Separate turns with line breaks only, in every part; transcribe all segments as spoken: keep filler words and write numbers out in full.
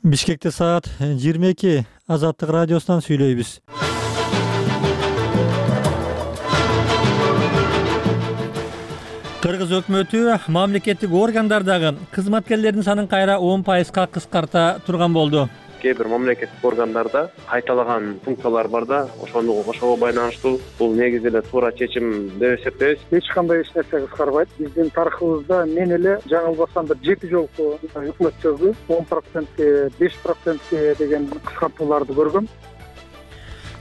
Бишкекте саат жыйырма эки. Азаттык радиосунан сүйлөйбүз. Кыргыз өкмөтү мамлекеттик органдардагы кызматкерлердин санын кайра он пайызга кыскарта турган болду.
Кээ бир мамлекеттик органдарда кайталаган функциялар бар да, ошону ошого байланыштуу бул негизи эле туура чечим деп эсептейбиз.
Эч кандай эч нерсе кыскарбайт. Биздин тарыхыбызда мен эле жаңылбасам бир жети жолку өкмөттөргө он процентке, беш процентке деген кыскартууларды көргөм.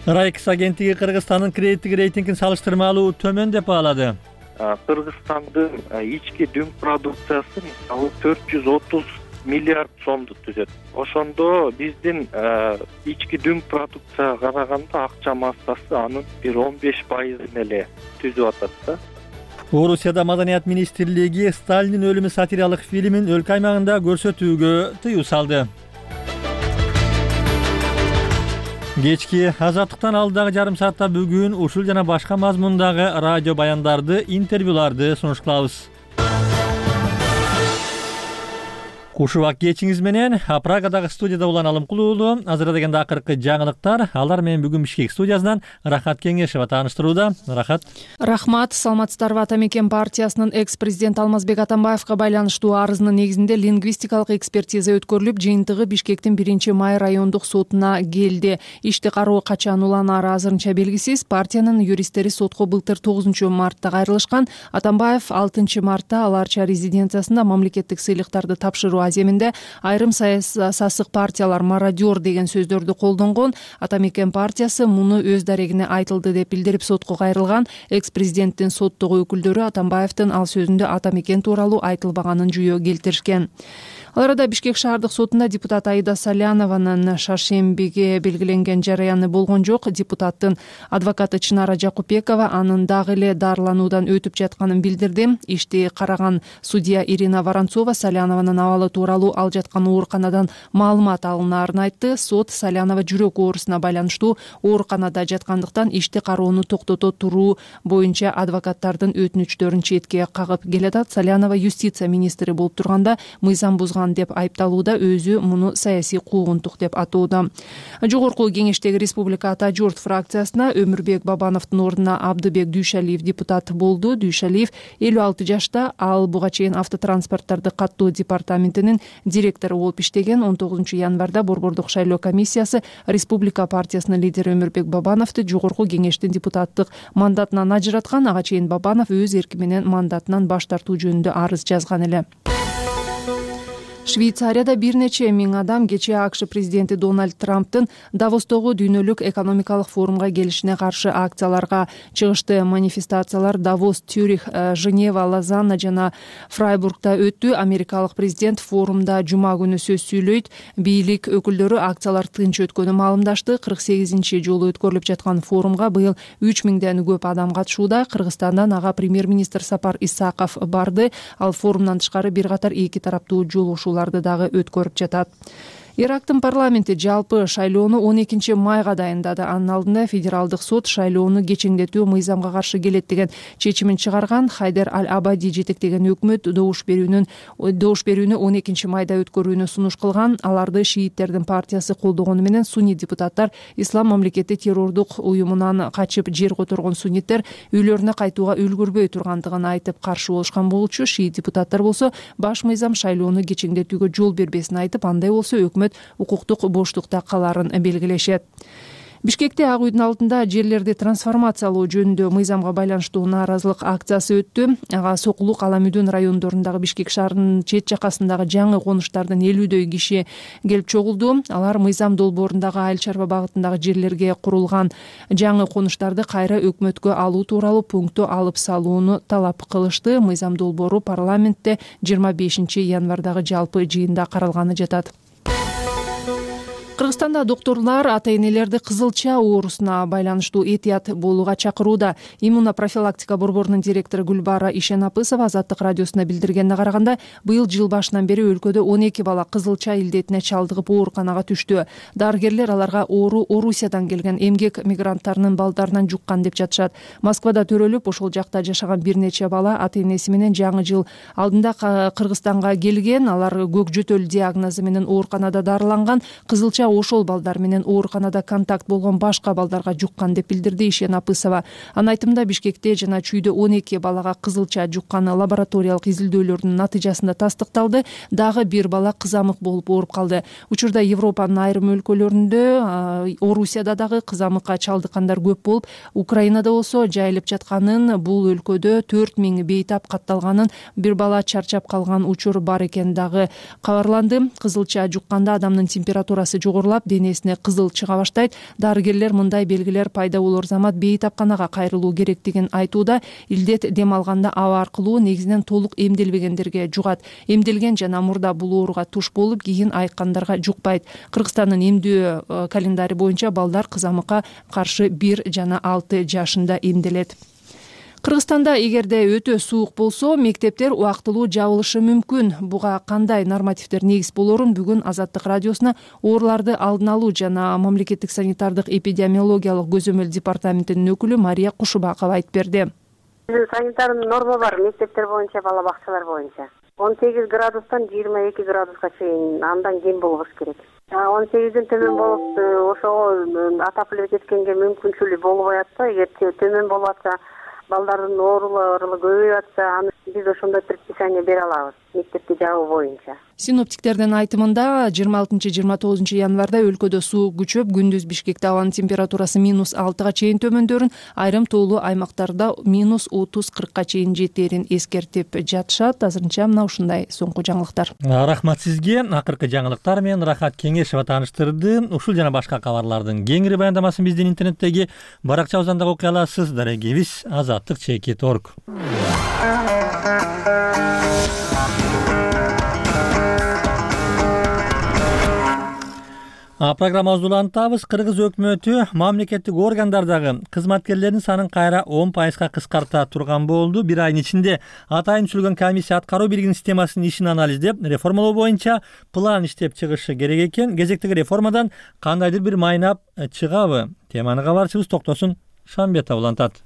Райкс агенттиги Кыргызстандын кредиттик рейтингин салыштырмалуу төмөн деп баалады.
Кыргызстандын ички дүң продукциясы мисалы төрт жүз отуз миллиард сомду түзөт. Ошондо биздин ички дүң продукцияга караганда акча массасы анын бир он беш пайызын эле түзүп атат да.
Орусияда Маданият министрлиги Сталиндин өлүмү сатиралык фильмин өлкө аймагында көрсөтүүгө тыюу салды. Кечки Азаттыктан алдагы жарым саатта бүгүн ушул жана башка мазмундагы радио баяндарды, интервьюларды сунуш кылабыз. Кушубак кечиңиз менен Прагадагы студияда улан Алымкулуулу. Азырда дегенде акыркы жаңылыктар. Алар менен бүгүн Бишкек студиясынан Рахат Кеңешева тааныштырууда. Рахат.
Рахмат. Саламатсыздарбы? Атамекен партиясынын экс-президент Алмазбек Атамбаевга байланыштуу арызынын негизинде лингвистикалык экспертиза өткөрүлүп, жыйынтыгы Бишкектин биринчи май райондук сотуна келди. Ишти кароо качан уланары азырынча белгисиз. Партиянын юристтери сотко былтыр тогузунчу мартта кайрылышкан. Атамбаев алтынчы мартта аларча резиденциясында мамлекеттик сыйлыктарды тапшыруу аземинде айрым сасык партиялар мародер деген сөздөрдү колдонгон. Атамекен партиясы муну өз дарегине айтылды деп билдирип сотко кайрылган. Экс-президенттин соттогу өкүлдөрү Атамбаевдин ал сөзүндө Атамекен тууралуу айтылбаганын жүйө келтиришкен. Ал арада Бишкек шаардык сотунда депутат Аида Салянованын шаршембиге белгиленген жараяны болгон жок. Депутаттын адвокаты Чынара Жакупбекова анын дагы эле дарылануудан өтүп жатканын билдирди. Ишти караган судья Ирина Воронцова Салянованын абалы тууралуу ал жаткан ооруканадан маалымат алынаарын айтты. Сот Салянова жүрөк оорусуна байланыштуу ооруканада жаткандыктан ишти кароону токтото туруу боюнча адвокаттардын өтүнүчтөрүн четке кагып келатат. Салянова юстиция министри болуп турганда мыйзам бузган деп айыпталууда, өзү муну саясий куугунтук деп атууда. Жогорку кеңештеги Республика Ата журт фракциясына Өмүрбек Бабановдун ордуна Абдыбек Дүйшалиев депутат болду. Дүйшалиев элүү алты жашта, ал буга чейин автотранспорттарды каттоо департаментинин директору болуп иштеген. он тогузунчу январда Борбордук шайлоо комиссиясы Республика партиясынын лидери Өмүрбек Бабановду жогорку кеңештин депутаттык мандатынан ажыраткан. Ага чейин Бабанов өз эрки менен мандатынан баш тартуу жөнүндө арыз жазган эле. Швейцарияда бир нече миң адам кечээ АКШ президенти Дональд Трамптын Давостогу дүйнөлүк экономикалык форумга келишине каршы акцияларга чыгышты. Манифестациялар Давос, Тюрих, Женева, Лозанна жана Фрайбургда өттү. Америкалык президент форумда жума күнү сөз сүйлөйт. Бийлик өкүлдөрү акциялар тынч өткөнү маалымдашты. кырк сегизинчи жолу өткөрүлүп жаткан форумга быйыл үч миңден көп адам катышууда. Кыргызстандан ага премьер-министр Сапар Исаков барды. Ал форумдан тышкары бир катар эки тараптуу жолугушуу дагы өткөрүп жатат. Ирактын парламенти жалпы шайлоону он экинчи майга дайындады. Анын алдында федералдык сот шайлоону кечеңдетүү мыйзамга каршы келет деген чечимин чыгарган. Хайдер Аль-Абади жетектеген өкмөт добуш берүүнүн добуш берүүнү он экинчи майда өткөрүүнү сунуш кылган. Аларды шииттердин партиясы колдогону менен сунни депутаттар Ислам мамлекети террордук уюмунан качып жер которгон сунниттер үйлөрүнө кайтууга үлгүрбөй тургандыгын айтып каршы болушкан болчу. Шиит депутаттар болсо баш мыйзам шайлоону кечеңдетүүгө жол бербесин айтып, андай болсо өкмөт укуктук боштукта каларын белгилешет. Бишкекте Ак үйдүн алдында жерлерди трансформациялоо жөнүндө мыйзамга байланыштуу нааразылык акциясы өттү. Ага Сокулук, Аламүдүн райондорундагы Бишкек шаарынын чет жакасындагы жаңы конуштардан элүүдөй киши келип чогулду. Алар мыйзам долбоорундагы Айыл чарба багытындагы жерлерге курулган жаңы конуштарды кайра өкмөткө алуу тууралуу пунктту алып салууну талап кылышты. Мыйзам долбоору парламентте жыйырма бешинчи январдагы жалпы жыйында каралганы жатат. Кыргызстанда докторлор ата-энелерди кызылча оорусуна байланыштуу этият болууга чакырууда. Иммунопрофилактика борборунун директору Гүлбара Ишенапысова Азаттык радиосуна билдиргенине караганда, быйыл жыл башынан бери өлкөдө он эки бала кызылча илдетине чалдыгып ооруканага түштү. Дарыгерлер аларга оору Орусиядан келген эмгек мигранттарынын балдарынан жуккан деп жатышат. Москвада төрөлүп, ошол жакта жашаган бир нече бала ата-энеси менен жаңы жыл алдында Кыргызстанга келген. Алар көк жөтөл диагнозу менен ооруканада дарыланган. Кызылча ошол балдар менен ооруканада контакт болгон башка балдарга жуккан деп билдирди Ишенапысова. Анын айтымында, Бишкекте жана Чүйдө он эки балага кызылча жукканы лабораториялык изилдөөлөрдүн натыйжасында тастыкталды. Дагы бир бала кызамык болуп ооруп калды. Учурда Европанын айрым өлкөлөрүндө, Орусияда дагы кызамыкка чалдыккандар көп болуп, Украинада болсо жайылып жатканын, бул өлкөдө төрт миң бейтап катталганын, бир бала чарчап калган учур бар экени дагы кабарланды. Кызылча жукканда адамдын температурасы жогорулап, денесине кызыл чыга баштайт. Дарыгерлер мындай белгилер пайда болор замат бейтапканага кайрылуу керектигин айтууда. Илдет дем алганда аба аркылуу негизинен толук эмделбегендерге жугат. Эмделген жана мурда бул ооруга туш болуп, кийин айыккандарга жукпайт. Кыргызстандын эмдөө календари боюнча балдар кызамыкка каршы бир жана алты жашында эмделет. Кыргызстанда эгерде өтө суук болсо, мектептер убактылуу жабылышы мүмкүн. Буга кандай нормативдер негиз болорун бүгүн Азаттык радиосуна ооруларды алдын алуу жана мамлекеттик санитардык эпидемиологиялык көзөмөл департаментинин өкүлү Мария Кушубакова айтып берди.
Санитардык норма бар мектептер боюнча, бала бакчалар боюнча. он сегиз градустан жыйырма эки градуска чейин, андан кем болбош керек. он сегизден төмөн болуп, ошого отопление кеткенге мүмкүнчүлүгү болбой атса, эгер төмөн болуп атса, балдардын оорулары көбөйүп атса, аны биз ошондой предписание бере алабыз мектепти жабуу боюнча.
Синоптиктердин айтымында, жыйырма алтынчы жыйырма тогузунчу январда өлкөдө суук күчөп, күндүз Бишкекте абанын температурасы минус алтыга чейин төмөндөрүн, айрым тоолуу аймактарда минус отуз кыркка чейин жетээрин эскертип жатышат. Азырынча мына ушундай соңку жаңылыктар.
Рахмат сизге. Акыркы жаңылыктар менен Рахат Кеңешева тааныштырды. Ушул жана башка кабарлардын кеңири баяндамасын биздин интернеттеги баракчабыздан да окуй аласыз. Дарегибиз азаттык чекит точка орг. Программабызды улантабыз. Кыргыз өкмөтү мамлекеттик органдардагы кызматкерлердин санын кайра он пайызга кыскарта турган болду. Бир айдын ичинде атайын түзүлгөн комиссия аткаруу бийлигинин системасынын ишин анализдеп, реформалоо боюнча план иштеп чыгышы керек экен. Кезектеги реформадан кандайдыр бир майнап чыгабы? Теманы кабарчыбыз Токтосун Шамбетов улантат.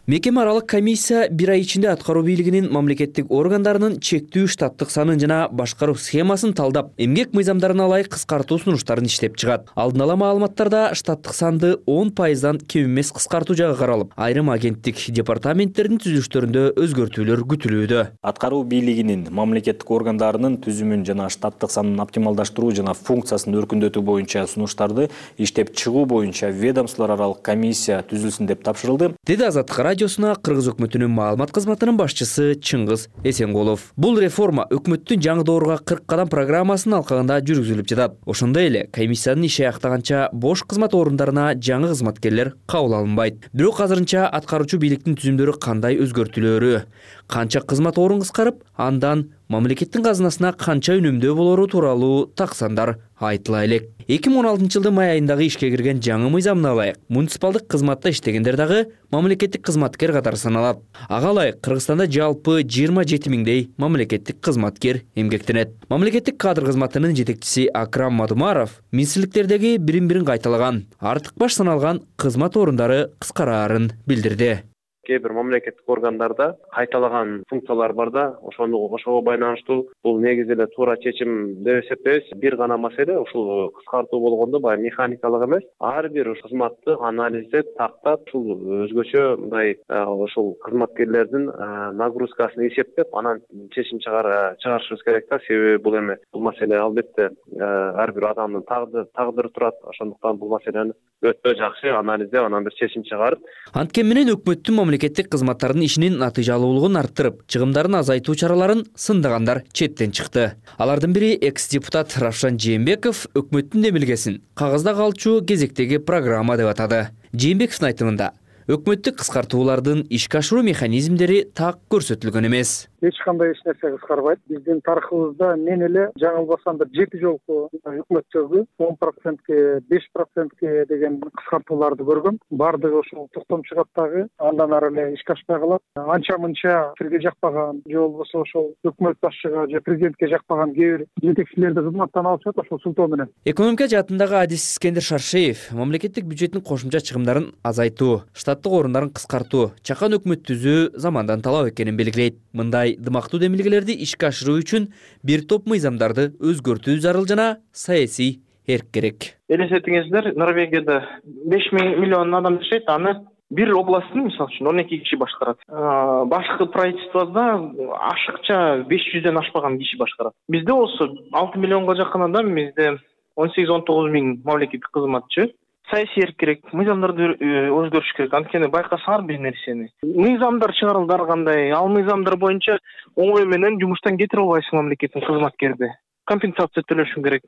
Мекеме аралык комиссия бир ай ичинде аткаруу бийлигинин мамлекеттик органдарынын чектүү штаттык санын жана башкаруу схемасын талдап, эмгек мыйзамдарына ылайык кыскартуу сунуштарын иштеп чыгат. Алдын ала маалыматтарда штаттык санды он пайыздан кем эмес кыскартуу жагы каралып, айрым агенттик департаменттердин түзүлүштөрүндө өзгөртүүлөр күтүлүүдө.
Аткаруу бийлигинин мамлекеттик органдарынын түзүмүн жана штаттык санын оптималдаштыруу жана функциясын өркүндөтүү боюнча сунуштарды иштеп чыгуу боюнча ведомстволор аралык комиссия түзүлсүн деп тапшырылды, деди Азаттык радиосуна Кыргыз өкмөтүнүн маалымат кызматынын башчысы Чыңгыз Эсенголов. Бул реформа өкмөттүн жаңы доорго кырк кадам программасынын алкагында жүргүзүлүп жатат. Ошондой эле комиссиянын иши аяктаганча бош кызмат орундарына жаңы кызматкерлер кабыл алынбайт. Бирок азырынча аткаруучу бийликтин түзүмдөрү кандай өзгөртүлөөрү, канча кызмат орун кыскарып, андан мамлекеттин казынасына канча үнөмдөө болору тууралуу таксандар айтыла элек. эки миң он алтынчы жылдын май айындагы ишке кирген жаңы мыйзамына ылайык муниципалдык кызматта иштегендер дагы мамлекеттик кызматкер катары саналат. Ага ылайык Кыргызстанда жалпы жыйырма жети миңдей мамлекеттик кызматкер эмгектенет. Мамлекеттик кадр кызматынын жетекчиси Акрам Мадумаров министрликтердеги бирин-бирин кайталаган, артык баш саналган кызмат орундары кыскараарын билдирди.
Кээ бир мамлекеттик органдарда кайталаган функциялар бар да, ошону ошого байланыштуу бул негизи эле туура чечим деп эсептейбиз. Бир гана маселе ушул кыскартуу болгондо баягы механикалык эмес, ар бир кызматты анализдеп, тактап, ушул өзгөчө мындай ушул кызматкерлердин нагрузкасын эсептеп, анан чечим чыгарышыбыз керек да. Себеби бул эме бул маселе албетте ар бир адамдын тагдыры турат. Ошондуктан бул маселени өтө жакшы анализдеп, анан бир чечим чыгарып.
Анткени менен өкмөттүн мамлекеттик кызматтардын ишинин натыйжалуулугун арттырып, чыгымдарын азайтуу чараларын сындагандар четтен чыкты. Алардын бири экс-депутат Равшан Жээнбеков өкмөттүн демилгесин кагазда калчу кезектеги программа деп атады. Жээнбековдун айтымында, өкмөттүк кыскартуулардын ишке ашыруу механизмдери так көрсөтүлгөн эмес.
Эч кандай эч нерсе кыскарбайт. Биздин тарыхыбызда мен эле жаңылбасам бир жети жолку өкмөттөргө он процентке беш процентке деген кыскартууларды көргөм. Бардыгы ушул токтом чыгат дагы андан ары эле ишке ашпай калат. Анча мынча силерге жакпаган же болбосо ошол өкмөт башчыга же президентке жакпаган кээ бир жетекчилерди кызматтан алып чыгат ошол сылтоо менен.
Экономика жаатындагы адис Искендер Шаршеев мамлекеттик бюджеттин кошумча чыгымдарын азайтуу, штаттык орундарын кыскартуу, чакан өкмөт түзүү замандан талап экенин белгилейт. Мындай дымактуу демилгелерди ишке ашыруу үчүн бир топ мыйзамдарды өзгөртүү зарыл жана саясий эрк керек.
Элестетиңиздер, Норвегияда беш миллион адам жашайт, аны бир областын мисалы үчүн он эки киши башкарат. Башкы правительствода ашыкча беш жүздөн ашпаган киши башкарат. Бизде болсо алты миллионго жакын адам, бизде он сегиз он тогуз миң мамлекеттик кызматчы. Саясий эрк керек, мыйзамдарды өзгөрүш керек. Анткени байкасаңар бир нерсени. Мыйзамдар чыгарылды кандай, ал мыйзамдар боюнча оңой менен жумуштан кетире албайсың мамлекеттик кызматкерди. Компенсация төлөшүң керек.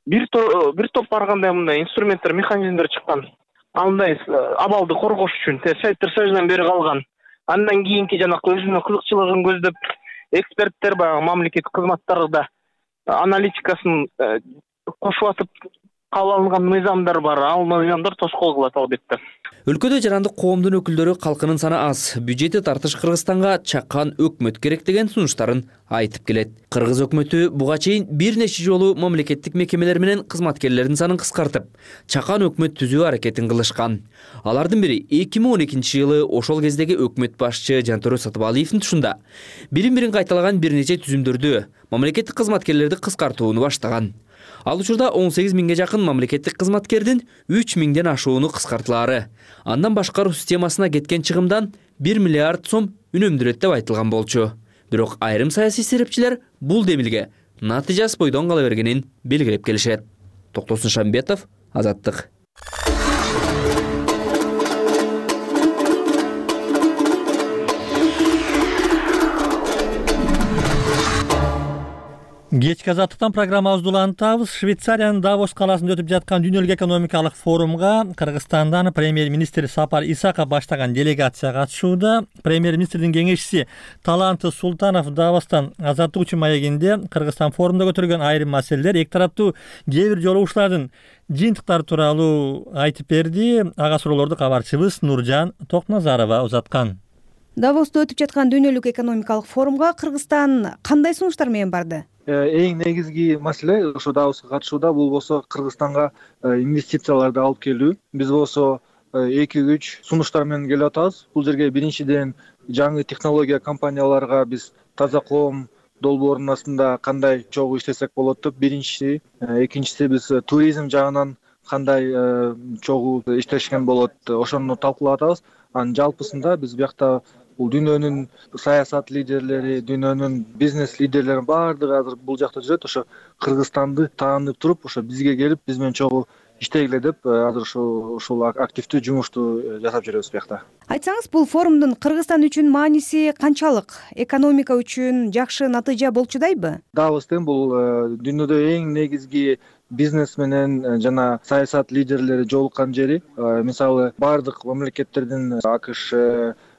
Бир топ бир топ барганда мындай инструменттер, механизмдер чыккан. Андай абалды коргош үчүн Советтер Союзунан бери калган. Андан кийинки жанакы өзүнүн кызыкчылыгын көздөп эксперттер баягы мамлекеттик кызматтарда аналитикасын кошуп атып кабыл алынган мыйзамдар бар. Ал мыйзамдар тоскоол кылат албетте.
Өлкөдө жарандык коомдун өкүлдөрү калкынын саны аз, бюджетти тартыш Кыргызстанга чакан өкмөт керек деген сунуштарын айтып келет. Кыргыз өкмөтү буга чейин бир нече жолу мамлекеттик мекемелер менен кызматкерлердин санын кыскартып, чакан өкмөт түзүү аракетин кылышкан. Алардын бири эки миң он экинчи жылы ошол кездеги өкмөт башчы Жантөрө Сатыбалиевдин тушунда бирин-бирин кайталаган бир нече түзүмдөрдү мамлекеттик кызматкерлерди кыскартууну баштаган. Ал учурда он сегиз миңге жакын мамлекеттик кызматкердин үч миңден ашууну кыскартылаары. Андан башкаруу системасына кеткен чыгымдан бир миллиард сом үнөмдөлөт деп айтылган болчу. Бирок айрым саясий серепчилер бул демилге натыйжасы бойдон кала бергенин белгилеп келишет. Токтосун Шамбетов, Азаттык.
Кечки Азаттыктан программабызды улантабыз. Швейцариянын Давос каласында өтүп жаткан дүйнөлүк экономикалык форумга Кыргызстандан премьер-министр Сапар Исаков баштаган делегация катышууда. Премьер-министрдин кеңешчиси Таланты Султанов Давостан Азаттык үчүн маегинде Кыргызстан форумда көтөрүлгөн айрым маселелер, эки тараптуу кээ бир жолугушуулардын жыйынтыктары тууралуу айтып берди. Ага суроолорду кабарчыбыз Нуржан Токназарова узаткан.
Давоста өтүп жаткан дүйнөлүк экономикалык форумга Кыргызстан кандай сунуштар менен барды?
Эң негизги маселе ошо Давоска катышууда бул болсо Кыргызстанга инвестицияларды алып келүү. Биз болсо эки үч сунуштар менен келип атабыз. Бул жерге биринчиден жаңы технология компанияларга биз таза коом долбоорунун астында кандай чогуу иштесек болот деп биринчиси, экинчиси биз туризм жагынан кандай чогуу иштешкен болот, ошону талкуулап атабыз. Анын жалпысында биз биякта бул дүйнөнүн саясат лидерлери, дүйнөнүн бизнес лидерлеринин баардыгы азыр бул жакта жүрөт. Ошо Кыргызстанды таанып туруп, ошо бизге келип, биз менен чогуу иштегиле деп азыр ушул ушул активдүү жумушту жасап жүрөбүз биякта.
Айтсаңыз, бул форумдун Кыргызстан үчүн мааниси канчалык? Экономика үчүн жакшы натыйжа болчудайбы?
Давос деген бул дүйнөдө эң негизги бизнес менен жана саясат лидерлери жолуккан жери. Мисалы, баардык мамлекеттердин АКШ,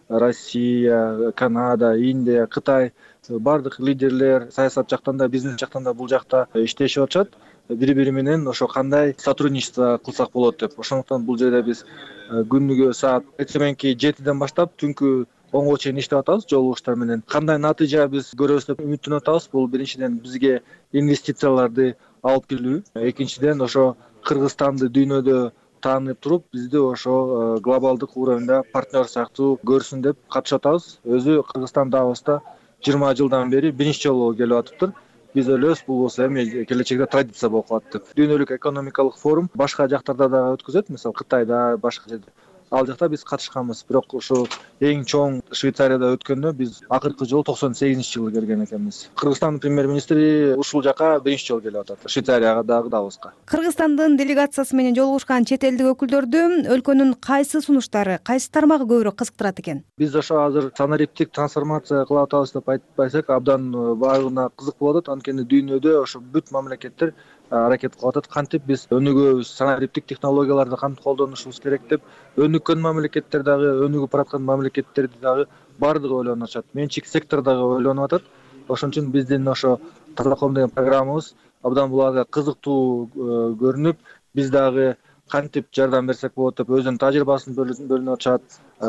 Россия, Канада, Индия, Кытай баардык лидерлер саясат жактан да, бизнес жактан да бул жакта иштешип атышат. Бири-бири менен ошо кандай сотрудничество кылсак болот деп. Ошондуктан бул жерде биз күнүгө саат эртеменки жетиден баштап түнкү онго чейин иштеп атабыз жолугуштар менен. Кандай натыйжа биз көрөбүз деп үмүттөнүп атабыз. Бул биринчиден бизге инвестицияларды алып келүү, экинчиден ошо Кыргызстанды дүйнөдө таанып туруп, бизди ошо глобалдык уровеньда партнер сыяктуу көрсүн деп катышып атабыз. Өзү Кыргызстан Давоста жыйырма жылдан бери биринчи жолу келип атыптыр. Биз ойлойбуз, бул болсо эми келечекте традиция болуп калат деп. Дүйнөлүк экономикалык форум башка жактарда да өткөзөт, мисалы Кытайда, башка жерде. Ал жакта биз катышканбыз. Бирок ошо эң чоң Швейцарияда өткөндө биз акыркы жолу токсон сегизинчи жылы келген экенбиз. Кыргызстандын премьер-министри ушул жака биринчи жолу келип атат. Швейцарияга дагы Давоска.
Кыргызстандын делегациясы менен жолугушкан чет элдик өкүлдөрдү өлкөнүн кайсы сунуштары, кайсы тармагы көбүрөөк кызыктырат экен?
Биз ошо азыр санариптик трансформация кылып атабыз деп айтпайсак, абдан баардыгына кызык болуп атат. Анткени дүйнөдө ошо бүт мамлекеттер аракет кылып атат. Кантип биз өнүгөбүз, санариптик технологияларды кантип колдонушубуз керек деп өнүккөн мамлекеттер дагы, өнүгүп бараткан мамлекеттерди дагы баардыгы ойлонуп атышат. Менчик сектор дагы ойлонуп атат. Ошон үчүн биздин ошо Таза коом деген программабыз абдан буларга кызыктуу көрүнүп, биз дагы кантип жардам берсек болот деп өзүнүн тажрыйбасын бөлүнүп атышат.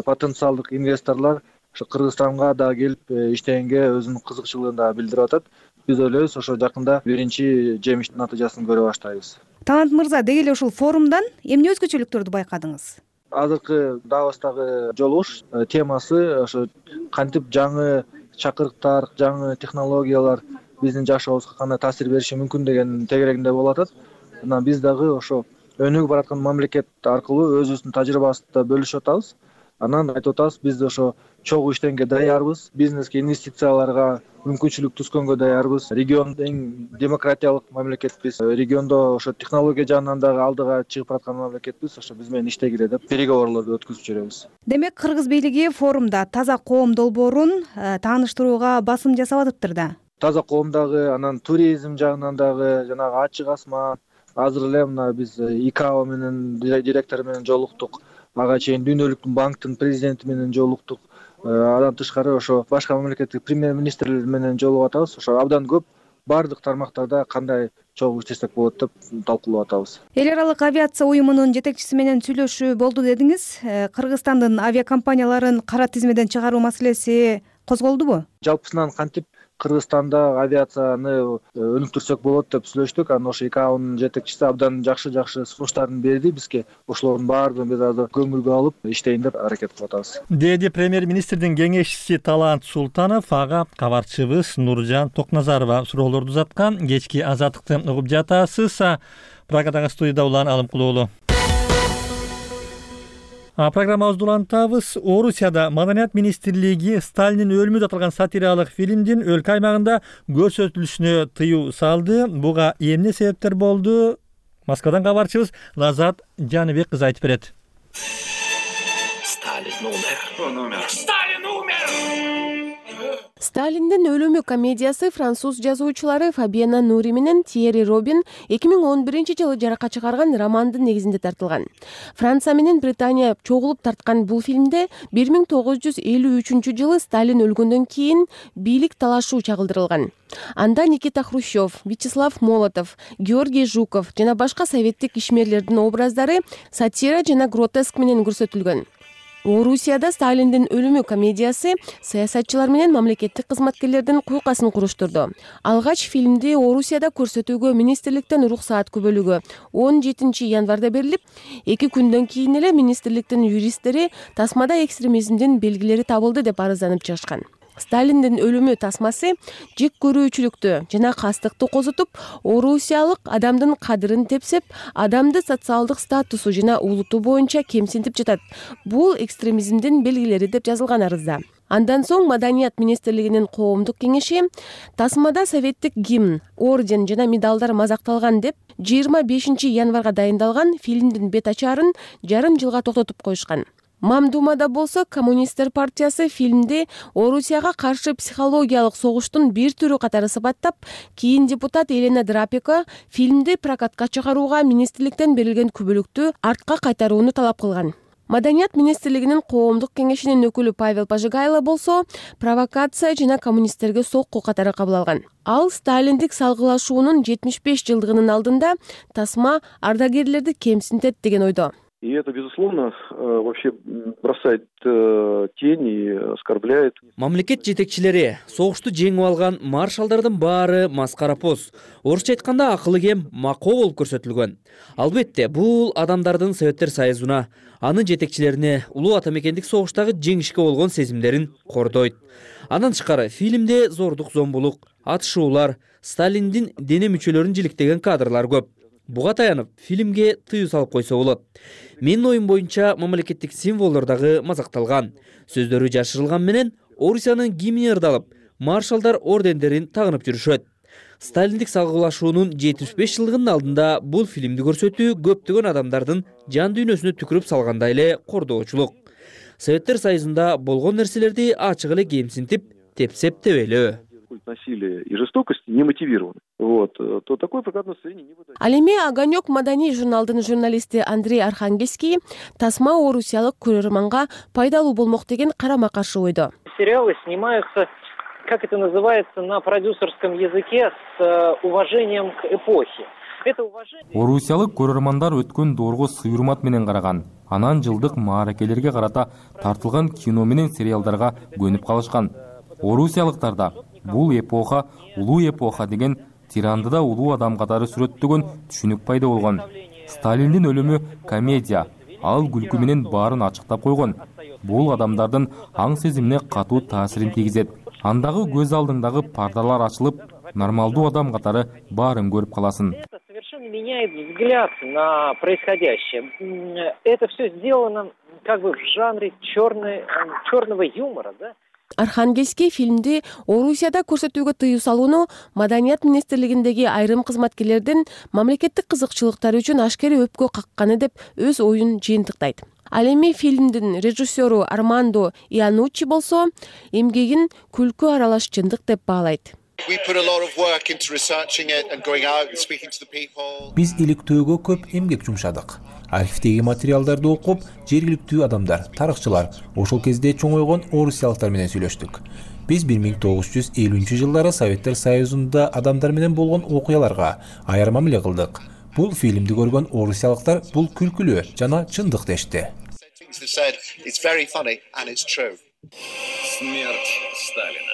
Потенциалдык инвесторлор ошо Кыргызстанга дагы келип иштегенге өзүнүн кызыкчылыгын дагы билдирип атат. Биз ойлойбуз, ошо жакында биринчи жемиштин натыйжасын көрө баштайбыз.
Талант мырза, деги эле ушул форумдан эмне өзгөчөлүктөрдү байкадыңыз?
Азыркы Давостагы жолугуш темасы ошо кантип жаңы чакырыктар, жаңы технологиялар биздин жашообузга кандай таасир бериши мүмкүн деген тегерегинде болуп атат. Анан биз дагы ошо өнүгүп бараткан мамлекет аркылуу өзүбүздүн тажрыйбабызды бөлүшүп атабыз. Анан айтып атабыз, биз ошо чогуу иштегенге даярбыз, бизнеске, инвестицияларга мүмкүнчүлүк түзгөнгө даярбыз. Региондо эң демократиялык мамлекетпиз. Региондо ошо технология жагынан дагы алдыга чыгып бараткан мамлекетпиз. Ошо биз менен иштегиле деп переговорлорду өткүзүп жүрөбүз.
Демек, Кыргыз бийлиги форумда Таза коом долбоорун тааныштырууга басым жасап атыптыр да.
Таза коом дагы, анан туризм жагынан дагы, жанагы ачык асман, азыр эле мына биз ИКАО менен директору менен жолуктук. Ага чейин Дүйнөлүк банктын президенти менен жолуктук. Андан тышкары ошо башка мамлекеттик премьер-министрлер менен жолугуп атабыз. Ошо абдан көп баардык тармактарда кандай чогуу иштесек болот деп талкуулап атабыз.
Эл аралык авиация уюмунун жетекчиси менен сүйлөшүү болду дедиңиз. Кыргызстандын авиакомпанияларын кара тизмеден чыгаруу маселеси козголдубу?
Жалпысынан кантип Кыргызстанда авиацияны өнүктүрсөк болот деп сүйлөштүк. Анан ошо ИКАОнун жетекчиси абдан жакшы-жакшы сунуштарын берди бизге. Ошолордун баардыгын биз азыр көңүлгө алып иштейин деп аракет кылып атабыз.
Деди премьер-министрдин кеңешчиси Талант Султанов. Ага кабарчыбыз Нуржан Токназарова суроолорду узаткан. Кечки Азаттыкты угуп жатасыз. Прагадагы студияда Улан Алымкулуулу. Программабызды улантабыз. Орусияда Маданият министрлиги Сталиндин өлүмү аталган сатиралык фильмдин өлкө аймагында көрсөтүлүшүнө тыюу салды. Буга эмне себептер болду? Москвадан кабарчыбыз Лазат Жаныбек кызы айтып берет.
Сталин умер. Сталин умер.
Сталиндин өлүмү комедиясы француз жазуучулары Фабиана Нури менен Тьерри Робин эки миң он биринчи жылы жаракка чыгарган романдын негизинде тартылган. Франция менен Британия чогулуп тарткан бул фильмде бир миң тогуз жүз элүү үчүнчү жылы Сталин өлгөндөн кийин бийлик талашуу чагылдырылган. Анда Никита Хрущев, Вячеслав Молотов, Георгий Жуков жана башка советтик ишмерлердин образдары сатира жана гротеск менен көрсөтүлгөн. Орусияда Сталиндин өлүмү комедиясы саясатчылар менен мамлекеттик кызматкерлердин куйкасын куруштурду. Алгач фильмди Орусияда көрсөтүүгө министрликтен уруксаат күбөлүгү он жетинчи январда берилип, эки күндөн кийин эле министрликтин юристтери тасмада экстремизмдин белгилери табылды деп арызданып чыгышкан. Сталиндин өлүмү тасмасы жек көрүүчүлүктү жана кастыкты козутуп, орусиялык адамдын кадырын тепсеп, адамды социалдык статусу жана улуту боюнча кемсинтип жатат. Бул экстремизмдин белгилери деп жазылган арызда. Андан соң Маданият министрлигинин коомдук кеңеши тасмада советтик гимн, орден жана медалдар мазакталган деп жыйырма бешинчи январга дайындалган фильмдин бет ачаарын жарым жылга токтотуп коюшкан. Мамдумада болсо Коммунисттер партиясы фильмди Орусияга каршы психологиялык согуштун бир түрү катары сыпаттап, кийин депутат Елена Драпика фильмди прокатка чыгарууга министрликтен берилген күбөлүктү артка кайтарууну талап кылган. Маданият министрлигинин коомдук кеңешинин өкүлү Павел Пожигайло болсо провокация жана коммунисттерге сокку катары кабыл алган. Ал Сталиндик салгылашуунун жетимиш беш жылдыгынын алдында тасма ардагерлерди кемсинтет деген ойдо.
И это, безусловно, вообще бросает тень и оскорбляет.
Мамлекет жетекчилери согушту жеңип алган маршалдардын баары маскарапоз. Орусча айтканда акылы кем макоо болуп көрсөтүлгөн. Албетте, бул адамдардын Советтер Союзуна, анын жетекчилерине улуу атамекендик согуштагы жеңишке болгон сезимдерин кордойт. Андан тышкары фильмде зордук зомбулук, атышуулар, Сталиндин дене мүчөлөрүн жиликтеген кадрлар көп. Буга таянып, фильмге тыюу салып койсо болот. Менин оюм боюнча мамлекеттик символдор дагы мазакталган. Сөздөрү жашырылган менен Орусиянын гимни ырдалып, маршалдар ордендерин тагынып жүрүшөт. Сталиндик салгылашуунун жетимиш беш жылдыгынын алдында бул фильмди көрсөтүү көптөгөн адамдардын жан дүйнөсүнө түкүрүп салгандай эле кордоочулук. Советтер Союзунда болгон нерселерди ачык эле кемсинтип, тепсеп тебелөө.
насилия и жестокости не мотивированы, вот, то такое прокатное удостоверение не выдается.
Ал эми Огонек маданий журналдын журналисти Андрей Архангельский тасма орусиялык көрөрманга пайдалуу болмок деген карама каршы ойдо.
Сериалы снимаются, как это называется на продюсерском языке, с уважением к эпохе.
Орусиялык көрөрмандар өткөн доорго сый-урмат менен караган. Анан жылдык мааракелерге карата тартылган кино менен сериалдарга көнүп калышкан. Орусиялыктарда бул эпоха улуу эпоха деген тирандыда улуу адам катары сүрөттөгөн түшүнүк пайда болгон. Сталиндин өлүмү комедия, ал күлкү менен баарын ачыктап койгон. Бул адамдардын аң сезимине катуу таасирин тийгизет. Андагы көз алдыңдагы пардалар ачылып, нормалдуу адам катары баарын көрүп каласың.
Совершенно меняет взгляд на происходящее. Это все сделано как бы в жанре черный, черного юмора, да?
Архангельский фильмди Орусияда көрсөтүүгө тыюу салууну Маданият министрлигиндеги айрым кызматкерлердин мамлекеттик кызыкчылыктары үчүн ашкере өпкө какканы деп өз оюн жыйынтыктайт. Ал эми фильмдин режиссеру Армандо Иануччи болсо эмгегин күлкү аралаш чындык деп баалайт.
Биз иликтөөгө көп эмгек жумшадык. Архивдеги материалдарды окуп, жергиликтүү адамдар, тарыхчылар, ошол кезде чоңойгон орусиялыктар менен сүйлөштүк. Биз бир миң тогуз жүз элүүнчү жылдары Советтер Союзунда адамдар менен болгон окуяларга аяр мамиле кылдык. Бул фильмди көргөн орусиялыктар бул күлкүлүү жана чындык дешти.
Смерть Сталина.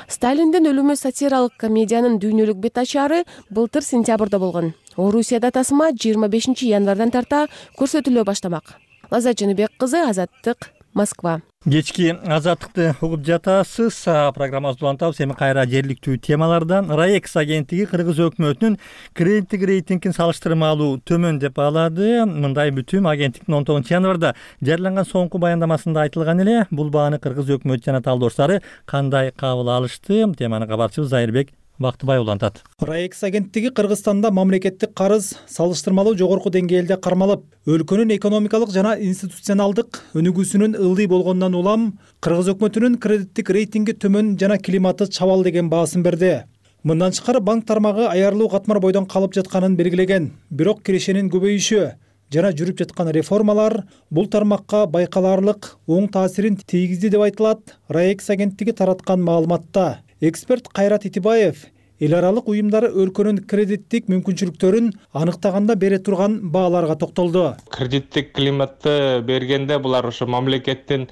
Сталиндин өлүмү сатиралык комедиянын дүйнөлүк бет ачары былтыр сентябрда болгон. Орусияда тасма жыйырма бешинчи январдан тарта көрсөтүлө баштамак. Лаззат Жаныбек кызы, Азаттык, Москва.
Кечки Азаттыкты угуп жатасыз. Программабызды улантабыз. Эми кайра жергиликтүү темалардан. Раекс агенттиги Кыргыз өкмөтүнүн кредиттик рейтингин салыштырмалуу төмөн деп баалады. Мындай бүтүм агенттиктин он тогузунчу январда жарыяланган соңку баяндамасында айтылган эле. Бул бааны Кыргыз өкмөтү жана талдоочулары кандай кабыл алышты? Теманы кабарчыбыз Зайырбек Бактыбай улантат.
Раекс агенттиги Кыргызстанда мамлекеттик карыз салыштырмалуу жогорку деңгээлде кармалып, өлкөнүн экономикалык жана институционалдык өнүгүүсүнүн ылдый болгондон улам Кыргыз өкмөтүнүн кредиттик рейтинги төмөн жана климаты чабал деген баасын берди. Мындан тышкары банк тармагы аярлуу катмар бойдон калып жатканын белгилеген. Бирок кирешенин көбөйүшү жана жүрүп жаткан реформалар бул тармакка байкалаарлык оң таасирин тийгизди деп айтылат Раекс агенттиги тараткан маалыматта. Эксперт Кайрат Итибаев эл аралык уюмдары өлкөнүн кредиттик мүмкүнчүлүктөрүн аныктаганда бере турган бааларга токтолду.
Кредиттик климатты бергенде булар ошо мамлекеттин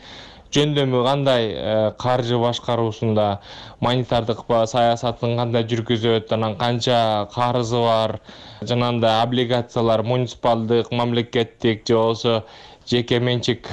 жөндөмү кандай, каржы башкаруусунда, монетардык саясатын кандай жүргүзөт, анан канча карызы бар, жанагындай облигациялар муниципалдык, мамлекеттик же болбосо жеке менчик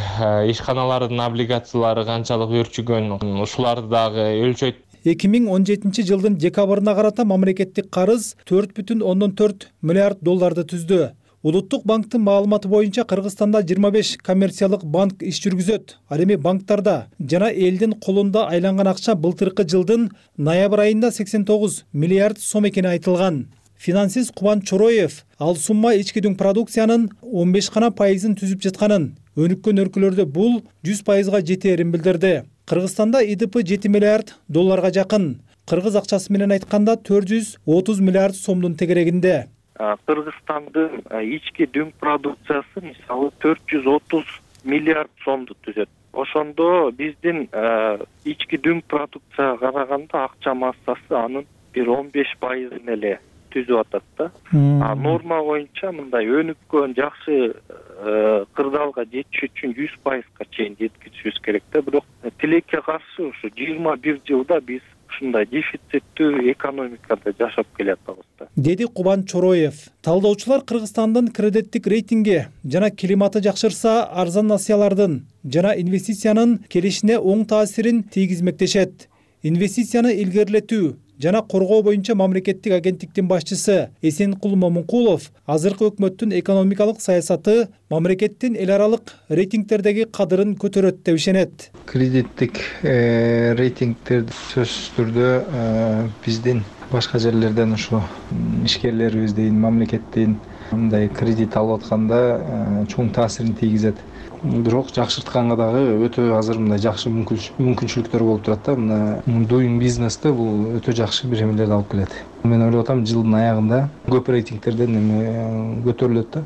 ишканалардын облигациялары канчалык өрчүгөн, ушуларды дагы өлчөйт.
эки миң он жетинчи жылдын декабрына карата мамлекеттик карыз төрт бүтүн ондон төрт миллиард долларды түздү. Улуттук банктын маалыматы боюнча Кыргызстанда жыйырма беш коммерциялык банк иш жүргүзөт. Ал эми банктарда жана элдин колунда айланган акча былтыркы жылдын ноябрь айында сексен тогуз миллиард сом экени айтылган. Финансист Кубан Чороев ал сумма ички дүң продукциянын он беш гана пайызын түзүп жатканын, өнүккөн өлкөлөрдө бул жүз пайызга жетээрин билдирди. Кыргызстанда И Д П жети миллиард долларга жакын. Кыргыз акчасы менен айтканда төрт жүз отуз миллиард сомдун тегерегинде.
Кыргызстандын ички дүң продукциясы мисалы төрт жүз отуз миллиард сомду түзөт. Ошондо биздин ички дүң продукцияга караганда акча массасы анын бир он беш пайызын эле түзүп атат да. А норма боюнча мындай өнүккөн жакшы кырдаалга жетиш үчүн жүз пайызга чейин жеткизишибиз керек да. Бирок тилекке каршы ушу жыйырма бир жылда биз ушундай дефициттүү экономикада жашап келатабыз да.
Деди Кубан Чороев. Талдоочулар Кыргызстандын кредиттик рейтинги жана климаты жакшырса, арзан насыялардын жана инвестициянын келишине оң таасирин тийгизмектешет. Инвестицияны илгерилетүү жана коргоо боюнча мамлекеттик агенттиктин башчысы Эсенкул Момункулов азыркы өкмөттүн экономикалык саясаты мамлекеттин эл аралык рейтингтердеги кадырын көтөрөт деп ишенет.
Кредиттик рейтингтерди сөзсүз түрдө биздин башка жерлерден ушу ишкерлерибиздин, мамлекеттин мындай кредит алып атканда чоң таасирин тийгизет. Бирок жакшыртканга дагы өтө азыр мындай жакшы мүмкүнчүлүктөр болуп турат да. Мына doing business'те бул өтө жакшы бир эмелерди алып келет. Мен ойлоп атам жылдын аягында көп рейтингтерден эме көтөрүлөт да.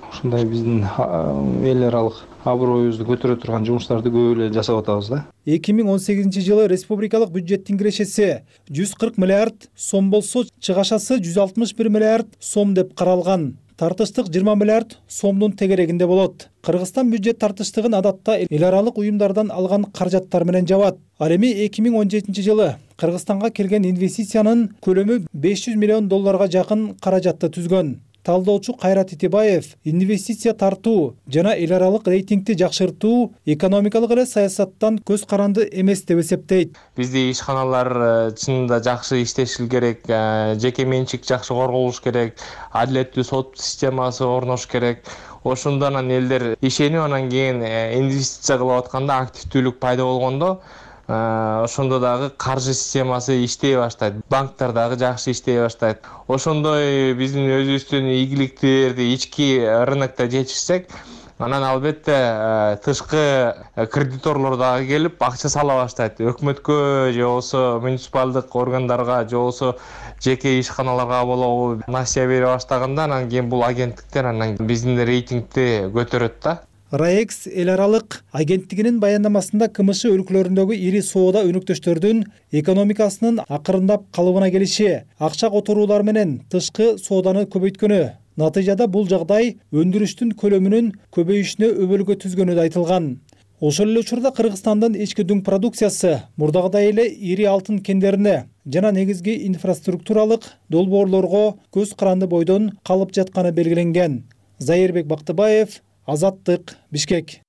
Ушундай биздин эл аралык аброюбузду көтөрө турган жумуштарды көп эле жасап атабыз да.
эки миң он сегизинчи жылы республикалык бюджеттин кирешеси жүз кырк миллиард сом болсо, чыгашасы жүз алтымыш бир миллиард сом деп каралган. Тартыштык жыйырма миллиард сомдун тегерегинде болот. Кыргызстан бюджет тартыштыгын адатта эл аралык уюмдардан алган каражаттар менен жабат. Ал эми эки миң он жетинчи жылы Кыргызстанга келген инвестициянын көлөмү беш жүз миллион долларга жакын каражатты түзгөн. Талдоочу Кайрат Итебаев инвестиция тартуу жана эл аралык рейтингди жакшыртуу экономикалык эле саясаттан көз каранды эмес деп эсептейт.
Бизде ишканалар чынында жакшы иштеши керек, жеке менчик жакшы корголуш керек, адилеттүү сот системасы орнош керек. Ошондон анан элдер ишенип анан кийин инвестиция кылып атканда активдүүлүк пайда болгондо ошондо дагы каржы системасы иштей баштайт, банктар дагы жакшы иштей баштайт. Ошондой биздин өзүбүздүн ийгиликтерди ички рынокто жетишсек, анан албетте тышкы кредиторлор дагы келип акча сала баштайт. Өкмөткө же болбосо муниципалдык органдарга же болбосо жеке ишканаларга болобу насыя бере баштаганда анан кийин бул агенттиктер анан биздин рейтингди көтөрөт да.
РАЭКС эл аралык агенттигинин баяндамасында КМШ өлкөлөрүндөгү ири соода өнөктөштөрдүн экономикасынын акырындап калыбына келиши, акча которуулар менен тышкы сооданы көбөйткөнү, натыйжада бул жагдай өндүрүштүн көлөмүнүн көбөйүшүнө өбөлгө түзгөнү да айтылган. Ошол эле учурда Кыргызстандын ички дүң продукциясы мурдагыдай эле ири алтын кендерине жана негизги инфраструктуралык долбоорлорго көз каранды бойдон калып жатканы белгиленген. Зайырбек Бактыбаев, Азаттык, Бишкек.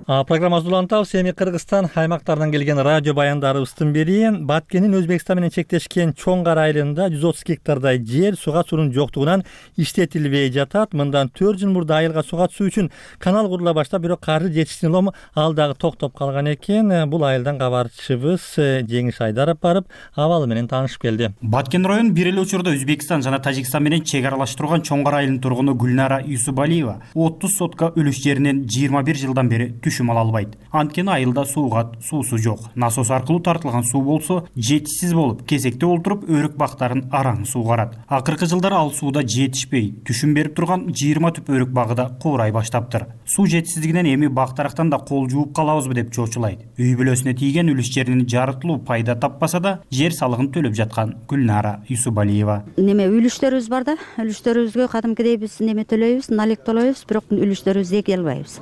Программабызды улантабыз. Эми Кыргызстан аймактарынан келген радио баяндарыбыздын бири Баткендин Өзбекстан менен чектешкен Чоң Кара айылында жүз отуз гектардай жер суга суунун жоктугунан иштетилбей жатат. Мындан төрт жыл мурда айылга суга түсүү үчүн канал курула баштап, бирок каржы жетишсин улам ал дагы токтоп калган экен. Бул айылдан кабарчыбыз Жеңиш Айдаров барып, абалы менен таанышып келди.
Баткен район бир эле учурда Өзбекстан жана Тажикстан менен чек аралаш турган Чоң Кара айылынын тургуну Гүлнара Юсубалиева отуз сотка үлүш жеринен жыйырма бир жылдан бери түшүм ала албайт. Анткени айылда сууга суусу жок. Насос аркылуу тартылган суу болсо жетишсиз болуп, кезекте олтуруп өрүк бактарын араң суугарат. Акыркы жылдары ал сууда жетишпей, түшүм берип турган жыйырма түп өрүк багы да куурай баштаптыр. Суу жетишсиздигинен эми бактарактан да кол жууп калабызбы деп чочулайт. Үй бүлөсүнө тийген үлүш жеринин жарытылуу пайда таппаса да, жер салыгын төлөп жаткан Гүлнара Юсубалиева.
Неме үлүштөрүбүз бар да, үлүштөрүбүзгө кадимкидей биз неме төлөйбүз, налик төлөйбүз, бирок үлүштөрүбүздү эке албайбыз.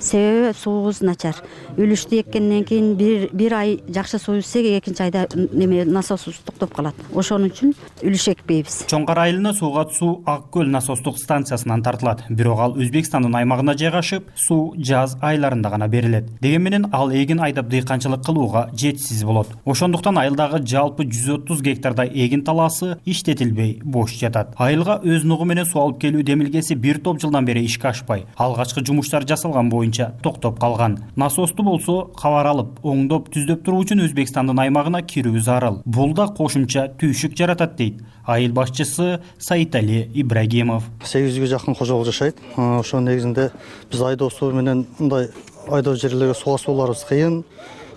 Себеби суубуз начар. Үлүштү эккенден кийин бир бир ай жакшы суу ичсек, экинчи айда неме насосубуз токтоп калат. Ошон үчүн үлүш экпейбиз.
Чоң Кара айылына сууга суу Ак көл насостук станциясынан тартылат. Бирок ал Өзбекстандын аймагына жайгашып, суу жаз айларында гана берилет. Деген менен ал эгин айдап дыйканчылык кылууга жетишсиз болот. Ошондуктан айылдагы жалпы жүз отуз гектардай эгин талаасы иштетилбей бош жатат. Айылга өз нугу менен суу алып келүү демилгеси бир топ жылдан бери ишке ашпай, алгачкы жумуштар жасалган боюнча токтоп калган. Насосту болсо кабар алып, оңдоп, түздөп туруу үчүн Өзбекстандын аймагына кирүү зарыл. Бул да кошумча түйшүк жаратат дейт айыл башчысы Саитали Ибрагимов.
сегиз жүзгө жакын кожолук жашайт. Ошонун негизинде биз айдоо суу менен мындай айдоо жерлерге суга сууларыбыз кыйын.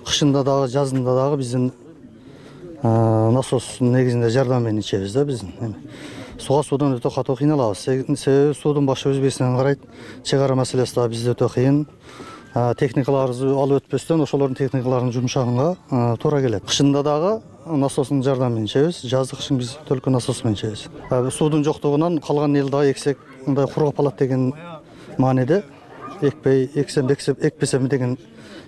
Кышында дагы, жазында дагы биздин насостун негизинде жардам менен ичебиз да биздин. Суга суудан өтө катуу кыйналабыз. Себеби суудун башы Өзбекстандан карайт. Чек ара маселеси да бизде өтө кыйын. Техникаларыбызды алып өтпөстөн ошолордун техникаларынын жумшагынга туура келет. Кышында дагы насостун жардамы менен ичебиз, жаздык кышын биз только насос менен ичебиз. Суудун жоктугунан калган эл дагы эксек мындай кургап калат деген мааниде экпей, эксем, экпесем деген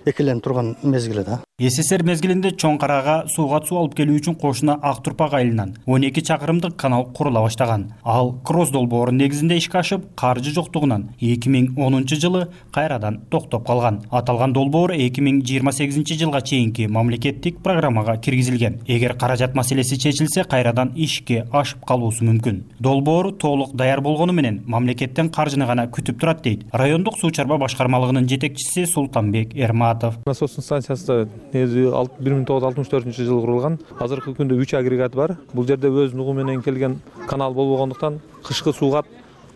экиленип турган мезгили да.
СССР мезгилинде Чоң Карага сууга суу алып келүү үчүн кошуна Ак Турпак айылынан он эки чакырымдык канал курула баштаган. Ал Кросс долбоорунун негизинде ишке ашып, каржы жоктугунан эки миң онунчу жылы кайрадан токтоп калган. Аталган долбоор эки миң жыйырма сегизинчи жылга чейинки мамлекеттик программага киргизилген. Эгер каражат маселеси чечилсе, кайрадан ишке ашып калуусу мүмкүн. Долбоор толук даяр болгону менен мамлекеттен каржыны гана күтүп турат дейт райондук суу чарба башкармалыгынын жетекчиси Султанбек Эрматов.
Насостун станциясында
негизи бир миң тогуз жүз алтымыш төртүнчү жылы курулган. Азыркы күндө үч агрегат бар. Бул жерде өз нугу менен келген канал болбогондуктан кышкы сууга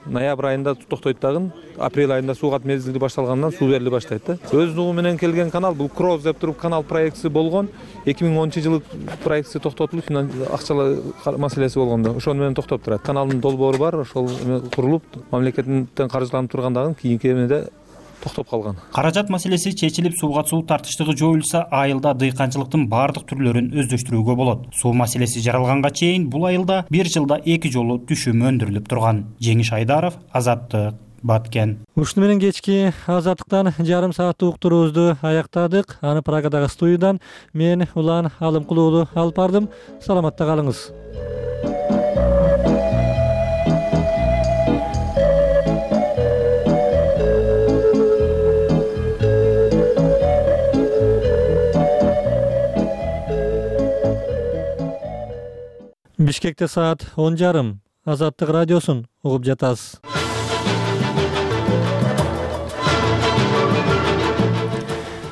ноябрь айында токтойт дагы, апрель айында суугат мезгили башталгандан суу бериле баштайт да. Өз нугу менен келген канал бул Кроз деп туруп канал проектиси болгон. эки миң онунчу жылы проектиси токтотулуп, акчалар маселеси болгондо ошону менен токтоп турат. Каналдын долбоору бар, ошол курулуп, мамлекеттен каржыланып тургандагы кийинки эмеде токтоп калган.
Каражат маселеси чечилип, сууга суу тартыштыгы жоюлса, айылда дыйканчылыктын баардык түрлөрүн өздөштүрүүгө болот. Суу маселеси жаралганга чейин бул айылда бир жылда эки жолу түшүм өндүрүлүп турган. Жеңиш Айдаров, Азаттык, Баткен.
Ушуну менен кечки Азаттыктан жарым сааттык уктуруубузду аяктадык. Аны Прагадагы студиядан мен Улан Алымкулуулу алып бардым. Саламатта калыңыз. Бишкекте саат он жарым. Азаттык радиосун угуп жатасыз.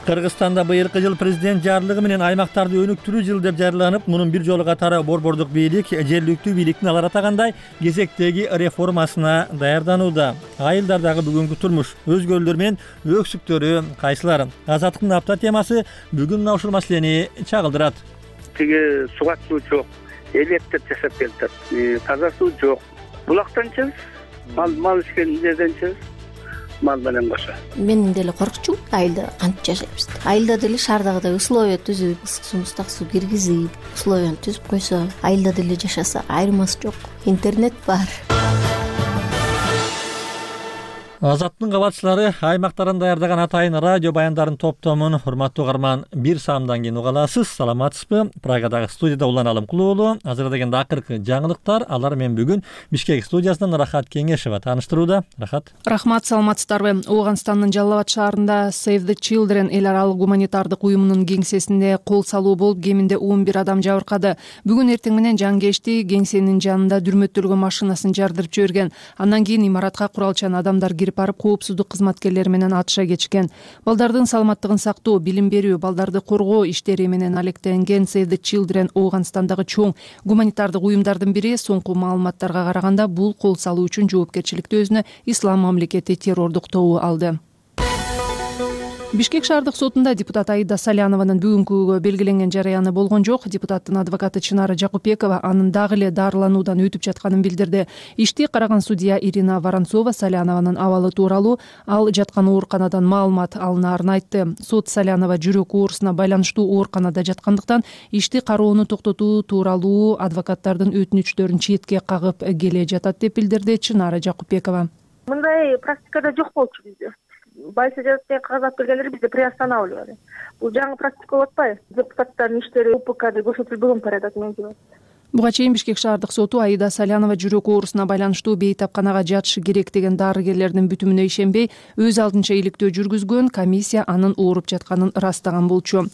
Кыргызстанда быйылкы жыл президент жарлыгы менен аймактарды өнүктүрүү жылы деп жарыяланып, мунун бир жолу катары борбордук бийлик жергиликтүү бийликтин алар атагандай кезектеги реформасына даярданууда. Айылдардагы бүгүнкү турмуш өзгөрүүлөр менен өксүктөрү кайсылар? Азаттыктын апта темасы бүгүн мына ушул маселени чагылдырат.
Тиги сугат суу жок, электр жасап келатат, таза суу жок. Булактанчы, мал мал ишкен жерденчи, мал менен кошо.
Мен деле коркчумун, айылда кантип жашайбыз. Айылда деле шаардагыдай условия түзүп, ысык суу, муздак суу киргизип, условияны түзүп койсо, айылда деле жашаса айырмасы жок. Интернет бар.
Азаттын кабатчылары аймактардан даярдаган атайын радио баяндарын топтомун урматтуу угарман бир саамдан кийин уга аласыз. Саламатсызбы? Прагадагы студияда Улан Алымкулуулу. Азыр дегенде акыркы жаңылыктар. Алар мен бүгүн Бишкек студиясынан Рахат Кеңешева тааныштырууда. Рахат.
Рахмат, саламатсыздарбы? Ооганстандын Жалал Абад шаарында Save the Children эл аралык гуманитардык уюмунун кеңсесинде кол салуу болуп, кеминде он бир адам жабыркады. Бүгүн эртең менен жангечти кеңсенин жанында дүрмөттөлгөн машинасын жардырып жиберген. Андан кийин имаратка куралчан адамдар барып коопсуздук кызматкерлери менен атыша кетишкен. Балдардын саламаттыгын сактоо, билим берүү, балдарды коргоо иштери менен алектенген Save the Children Ооганстандагы чоң гуманитардык уюмдардын бири. Соңку маалыматтарга караганда, бул кол салуу үчүн жоопкерчиликти өзүнө Ислам мамлекети террордук тобу алды. Бишкек шаардык сотунда депутат Аида Салянованын бүгүнкүгө белгиленген жарыяны болгон жок. Депутаттын адвокаты Чынара Жакупбекова анын дагы эле дарылануудан өтүп жатканын билдирди. Ишти караган судья Ирина Воронцова Салянованын абалы тууралуу ал жаткан ооруканадан маалымат алынаарын айтты. Сот Салянова жүрөк оорусуна байланыштуу ооруканада жаткандыктан ишти кароону токтотуу тууралуу адвокаттардын өтүнүчтөрүн четке кагып келе жатат деп билдирди Чынара Жакупбекова.
Мындай практикада жок болчу бизде. Байсы жазып деген кагаз алып келгендер бизде приостанавливали. Бул жаңы практика болуп атпайбы? Депутаттардын иштери УПКда көрсөтүлбөгөн порядок менен жүрөт.
Буга чейин Бишкек шаардык соту Аида Салянова жүрөк оорусуна байланыштуу бейтапканага жатышы керек деген дарыгерлердин бүтүмүнө ишенбей, өз алдынча иликтөө жүргүзгөн. Комиссия анын ооруп жатканын ырастаган болчу.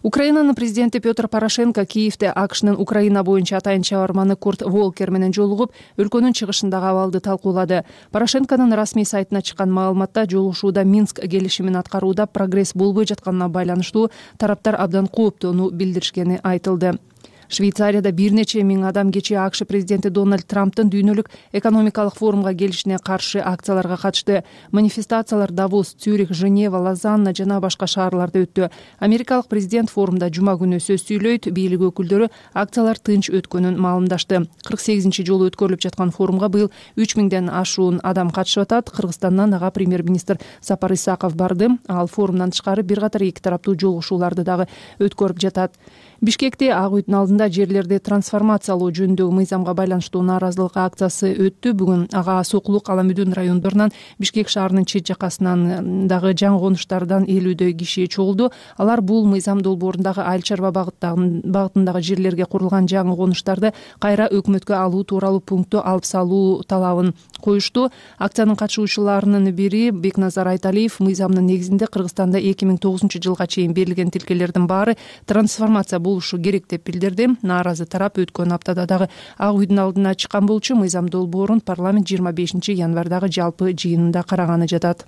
Украинанын президенти Петр Порошенко Киевде АКШнын Украина боюнча атайын чабарманы Курт Волкер менен жолугуп, өлкөнүн чыгышындагы абалды талкуулады. Порошенконун расмий сайтына чыккан маалыматта жолугушууда Минск келишимин аткарууда прогресс болбой жатканына байланыштуу тараптар абдан кооптоону билдиришкени айтылды. Швейцарияда бир нече миң адам кечээ АКШ президенти Дональд Трамптын дүйнөлүк экономикалык форумга келишине каршы акцияларга катышты. Манифестациялар Давос, Цюрих, Женева, Лозанна жана башка шаарларда өттү. Америкалык президент форумда жума күнү сөз сүйлөйт, бийлик өкүлдөрү акциялар тынч өткөнүн маалымдашты. кырк сегизинчи жолу өткөрүлүп жаткан форумга быйыл үч миңден ашуун адам катышып атат. Кыргызстандан ага премьер-министр Сапар Исаков барды. Ал форумдан тышкары бир катар эки тараптуу жолугушууларды дагы өткөрүп жатат. Бишкекте Ак үйдүн алдында жерлерди трансформациялоо жөнүндөгү мыйзамга байланыштуу нааразылык акциясы өттү. Бүгүн ага Сокулук, Аламүдүн райондорунан, Бишкек шаарынын чет жакасынан дагы жаңы конуштардан элүүдөй киши чогулду. Алар бул мыйзам долбоорундагы айыл чарба багытындагы жерлерге курулган жаңы конуштарды кайра өкмөткө алуу тууралуу пунктту алып салуу талабын коюшту. Акциянын катышуучуларынын бири Бекназар Айталиев мыйзамдын негизинде Кыргызстанда эки миң тогузунчу жылга чейин берилген тилкелердин баары трансформация болушу керек деп билдирди. Нааразы тарап өткөн аптада дагы Ак үйдүн алдына чыккан болчу. Мыйзам долбоорун парламент жыйырма бешинчи январдагы жалпы жыйынында караганы жатат.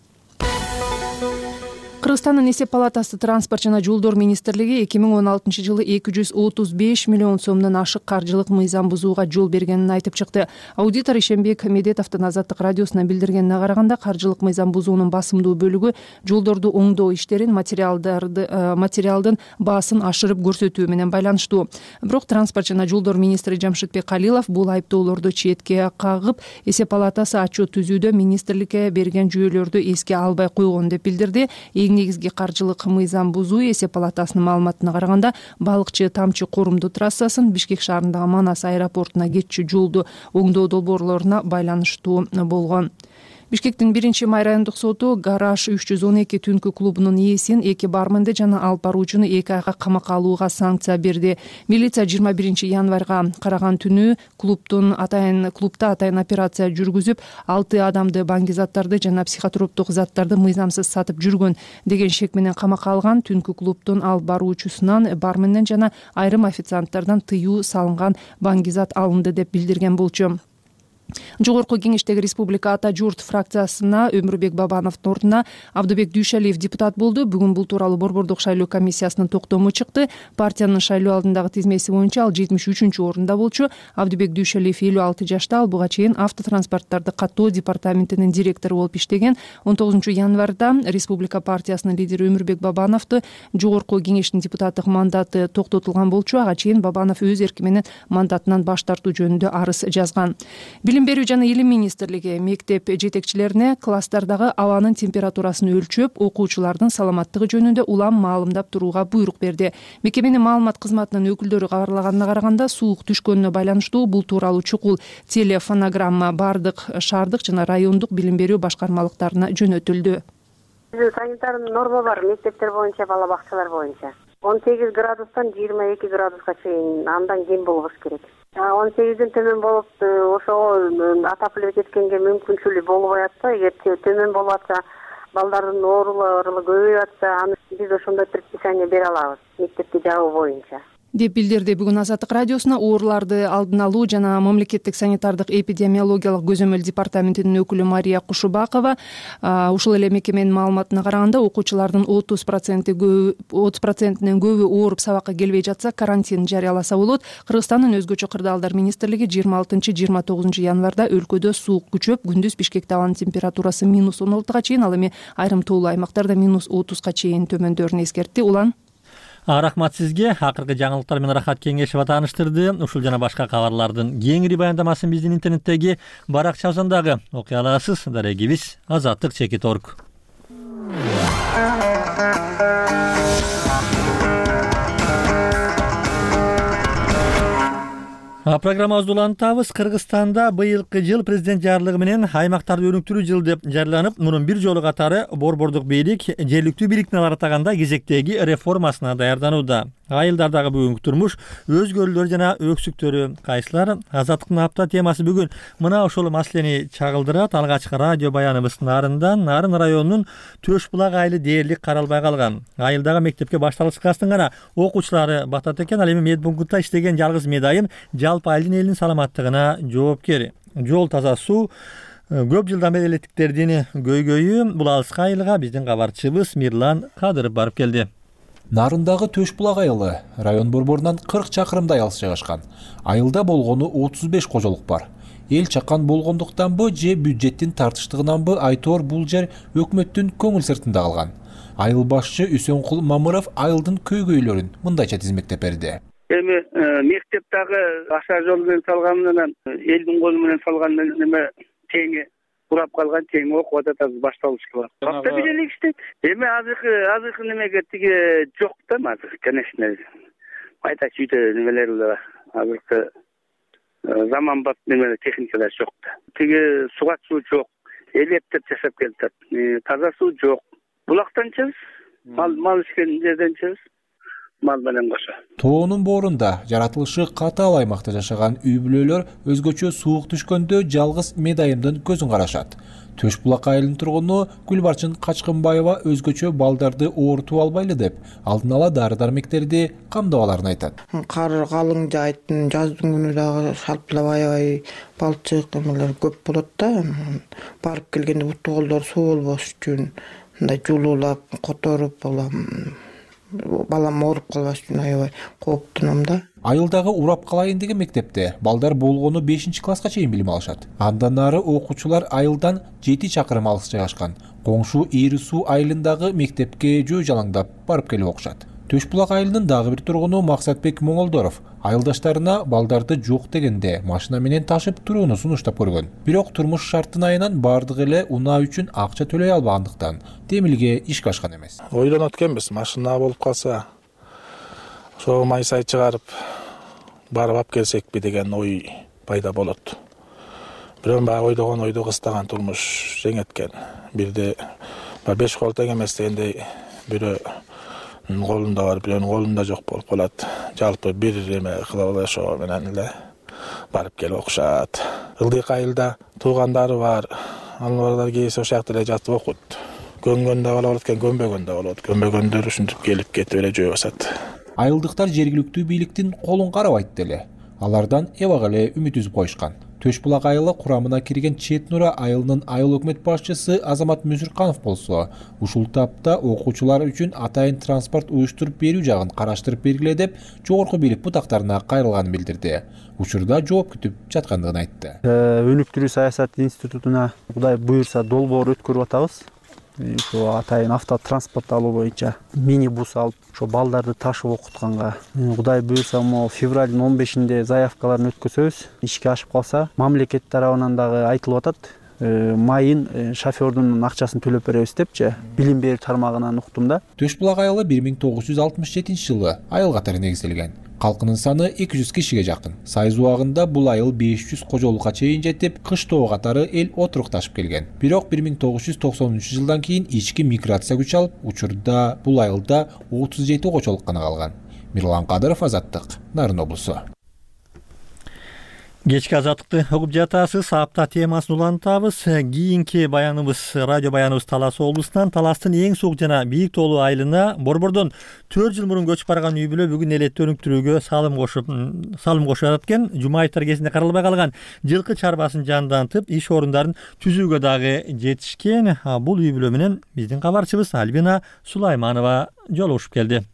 Кыргызстандын эсеп палатасы транспорт жана жолдор министрлиги эки миң он алтынчы жылы эки жүз отуз беш миллион сомдон ашык каржылык мыйзам бузууга жол бергенин айтып чыкты. Аудитор Ишенбек Медетовдун Азаттык радиосуна билдиргенине караганда, каржылык мыйзам бузуунун басымдуу бөлүгү жолдорду оңдоо иштерин, материалдарды материалдын баасын ашырып көрсөтүү менен байланыштуу. Бирок транспорт жана жолдор министри Жамшитбек Калилов бул айыптоолорду четке кагып, эсеп палатасы отчет түзүүдө министрликке берген жүйөлөрдү эске албай койгон деп билдирди. Негизги каржылык мыйзам бузуу эсеп палатасынын маалыматына караганда, балыкчы Тамчы Корумду трассасын, Бишкек шаарындагы Манас аэропортуна кетчү жолду оңдоо долбоорлоруна байланыштуу болгон. Бишкектин биринчи май райондук соту Гараж үч жүз он эки түнкү клубунун ээсин, эки барменди жана алып баруучуну эки айга камакка алууга санкция берди. Милиция жыйырма биринчи январга караган түнү клубтун атайын клубда атайын операция жүргүзүп, алты адамды баңгизаттарды жана психотроптук заттарды мыйзамсыз сатып жүргөн деген шек менен камакка алган. Түнкү клубтун алып баруучусунан, барменден жана айрым официанттардан тыюу салынган баңгизат алынды деп билдирген болчу. Жогорку кеңештеги Республика Ата журт фракциясына Өмүрбек Бабановдун ордуна Абдыбек Дүйшалиев депутат болду. Бүгүн бул тууралуу Борбордук шайлоо комиссиясынын токтому чыкты. Партиянын шайлоо алдындагы тизмеси боюнча ал жетимиш үчүнчү орунда болчу. Абдыбек Дүйшалиев элүү алты жашта, ал буга чейин автотранспорттарды каттоо департаментинин директору болуп иштеген. он тогузунчу январда Республика партиясынын лидери Өмүрбек Бабановду жогорку кеңештин депутаттык мандаты токтотулган болчу. Ага чейин Бабанов өз эрки менен мандатынан баш тартуу жөнүндө арыз жазган. Билим берүү жана илим министрлиги мектеп жетекчилерине класстардагы абанын температурасын өлчөп, окуучулардын саламаттыгы жөнүндө улам маалымдап турууга буйрук берди. Мекеменин маалымат кызматынын өкүлдөрү кабарлаганына караганда, суук түшкөнүнө байланыштуу бул тууралуу чукул телефонограмма бардык шаардык жана райондук билим берүү башкармалыктарына жөнөтүлдү.
Санитардык норма бар мектептер боюнча, бала бакчалар боюнча. он сегиз градустан жыйырма эки градуска чейин, андан кем болбош керек. он сегизден төмөн болуп, ошого отапливать эткенге мүмкүнчүлүк болбой атса, эгер төмөн болуп атса, балдардын оорулары көбөйүп атса, аны биз ошондой предписание бере алабыз мектепти жабуу боюнча
деп билдирди бүгүн Азаттык радиосуна ооруларды алдын алуу жана мамлекеттик санитардык эпидемиологиялык көзөмөл департаментинин өкүлү Мария Кушубакова. Ушул эле мекеменин маалыматына караганда, окуучулардын отуз проценти отуз процентинен көбү ооруп сабакка келбей жатса, карантин жарыяласа болот. Кыргызстандын өзгөчө кырдаалдар министрлиги жыйырма алтынчы жыйырма тогузунчу январда өлкөдө суук күчөп, күндүз Бишкекте абанын температурасы минус он алтыга чейин, ал эми айрым тоолуу аймактарда минус отузга чейин төмөндөрүн эскертти. Улан
Рахмат сизге. Акыркы жаңылыктар менен Рахат Кеңешева тааныштырды. Ушул жана башка кабарлардын кеңири баяндамасын биздин интернеттеги баракчабыздан дагы окуй аласыз. Дарегибиз азаттык чекит точка орг. Программабызды улантабыз. Кыргызстанда быйылкы жыл президент жарлыгы менен аймактарды өнүктүрүү жылы деп жарыяланып, мунун бир жолу катары борбордук бийлик жергиликтүү бийликтин алар атаганда кезектеги реформасына даярданууда. Айылдардагы бүгүнкү турмуш өзгөрүүлөр жана өксүктөрү кайсылар? Азаттыктын апта темасы бүгүн мына ошол маселени чагылдырат. Алгачкы радио баяныбыз Нарындан, Нарын районунун Төш булак айылы дээрлик каралбай калган. Айылдагы мектепке башталгычкастын гана окуучулары батат экен. Ал эми медпунктта иштеген жалгыз медайым жалпы айылдын элинин саламаттыгына жоопкер. Жол, таза суу, көп жылдан бери электиктердин көйгөйү. Бул алыскы айылга биздин кабарчыбыз Мирлан Кадыров барып келди.
Нарындагы Төш булак айылы район борборунан кырк чакырымдай алыс жайгашкан. Айылда болгону отуз беш кожолук бар. Эл чакан болгондуктанбы же бюджеттин тартыштыгынанбы айтор бул жер өкмөттүн көңүл сыртында калган. Айыл башчы Үсөнкул Мамыров айылдын көйгөйлөрүн мындайча тизмектеп берди.
Эми мектептагы аша жол менен салган менен элдин колу менен салган неме теңи урап калган, тең окуп атат, башталышы бар. Капта бир эле иштейт. Эми азыркы азыркы немеге тиги жок да, азыр, конечно. Айта чүйдө немелер азыркы заманбап неме техникалар жок да. Тиги суга суу жок, электр жашап келатат. Таза суу жок. Булактан чыз, мал мал ишкен жерден чыз. Мал менен кошо.
Тоонун боорунда жаратылышы катаал аймакта жашаган үй бүлөлөр өзгөчө суук түшкөндө жалгыз медайымдын көзүн карашат. Төш булак айылынын тургуну Гүлбарчын Качкынбаева өзгөчө балдарды оорутуп албайлы деп, алдын ала дары-дармектерди камдап аларын айтат.
Кар калың жайттын, жаздын күнү дагы шалпылап аябай балчык эмелер көп болот да. Барып келгенде буту колдор суу болбош үчүн мындай жулуулап которуп балам ооруп калбаш үчүн аябай кооптунам да.
Айылдагы урап калайын деген мектепте балдар болгону бешинчи класска чейин билим алышат. Андан ары окуучулар айылдан жети чакырым алыс жайгашкан коңшу Ийри суу айылындагы мектепке жөө жалаңдап барып келип окушат. Төш булак айылынын дагы бир тургуну Максатбек Моңолдоров айылдаштарына балдарды жок дегенде машина менен ташып турууну сунуштап көргөн. Бирок турмуш шартынайынан бардыгы эле унаа үчүн акча төлөй албагандыктан Темилге ишке ашкан эмес.
Ойлонот экенбиз, машина болуп калса ошо май сай чыгарып барып алып келсекпи деген ой пайда болот. Бирок баягы ойдогон ойду кыстаган турмуш жеңеткен. Бирде беш кол тең эмес дегендей бирөө колунда бар, бирөөнүн колунда жок болуп калат. Жалпы бир эме кылып эле ошо менен эле барып келип окушат. Ылдык айылда туугандары бар, алар кээсе ошол жакта эле жатып окут. Көнгөндө болот экен, көнбөгөндө болот. Көнбөгөндөр ушинтип келип кетип эле жөө басат.
Айылдыктар жергиликтүү бийликтин колун карабайт деле. Алардан эбак эле үмүт үзүп коюшкан. Төш булак айылы курамына кирген Чет Нура айылынын айыл өкмөт башчысы Азамат Мүзүрканов болсо, ушул тапта окуучулар үчүн атайын транспорт уюштуруп берүү жагын караштырып бергиле деп жогорку бийлик бутактарына кайрылганын билдирди. Учурда жооп күтүп жаткандыгын айтты.
Өнүктүрүү саясат институтуна Кудай буйрса долбоор өткөрүп атабыз. Ошо атайын автотранспорт алуу боюнча мини-бус алып, ошо балдарды ташып окутканга Кудай буйрса могу февралдын он бешинде заявкаларын өткөзөбүз. Ишке ашып калса, мамлекет тарабынан дагы айтылып атат. Майын шофёрдун акчасын төлөп беребиз депчи билим берүү тармагынан уктум да.
Төш булак айылы бир миң тогуз жүз алтымыш жетинчи жылы айыл катары негизделген. Калкынын саны эки жүз кишиге жакын. Сайыз убагында бул айыл беш жүз кожолукка чейин жетип, кыштоо катары эл отурукташып келген. Бирок бир миң тогуз жүз токсонунчу жылдан кийин ички миграция күч алып, учурда бул айылда отуз жети кожолук гана калган. Мирлан Кадыров, Азаттык, Нарын облусу.
Кечки азаттыкты угуп жатасыз. Апта темасын улантабыз. Кийинки баяныбыз, радио баяныбыз Талас облусунан. Таластын эң суук жана бийик тоолуу айылына борбордон төрт жыл мурун көчүп барган үй бүлө бүгүн элетти өнүктүрүүгө салым кошуп, салым кошуп атат экен. Жумаевтар кезинде каралбай калган жылкы чарбасын жандантып, иш орундарын түзүүгө дагы жетишкен. Бул үй бүлө менен биздин кабарчыбыз Альбина Сулайманова жолугушуп келди.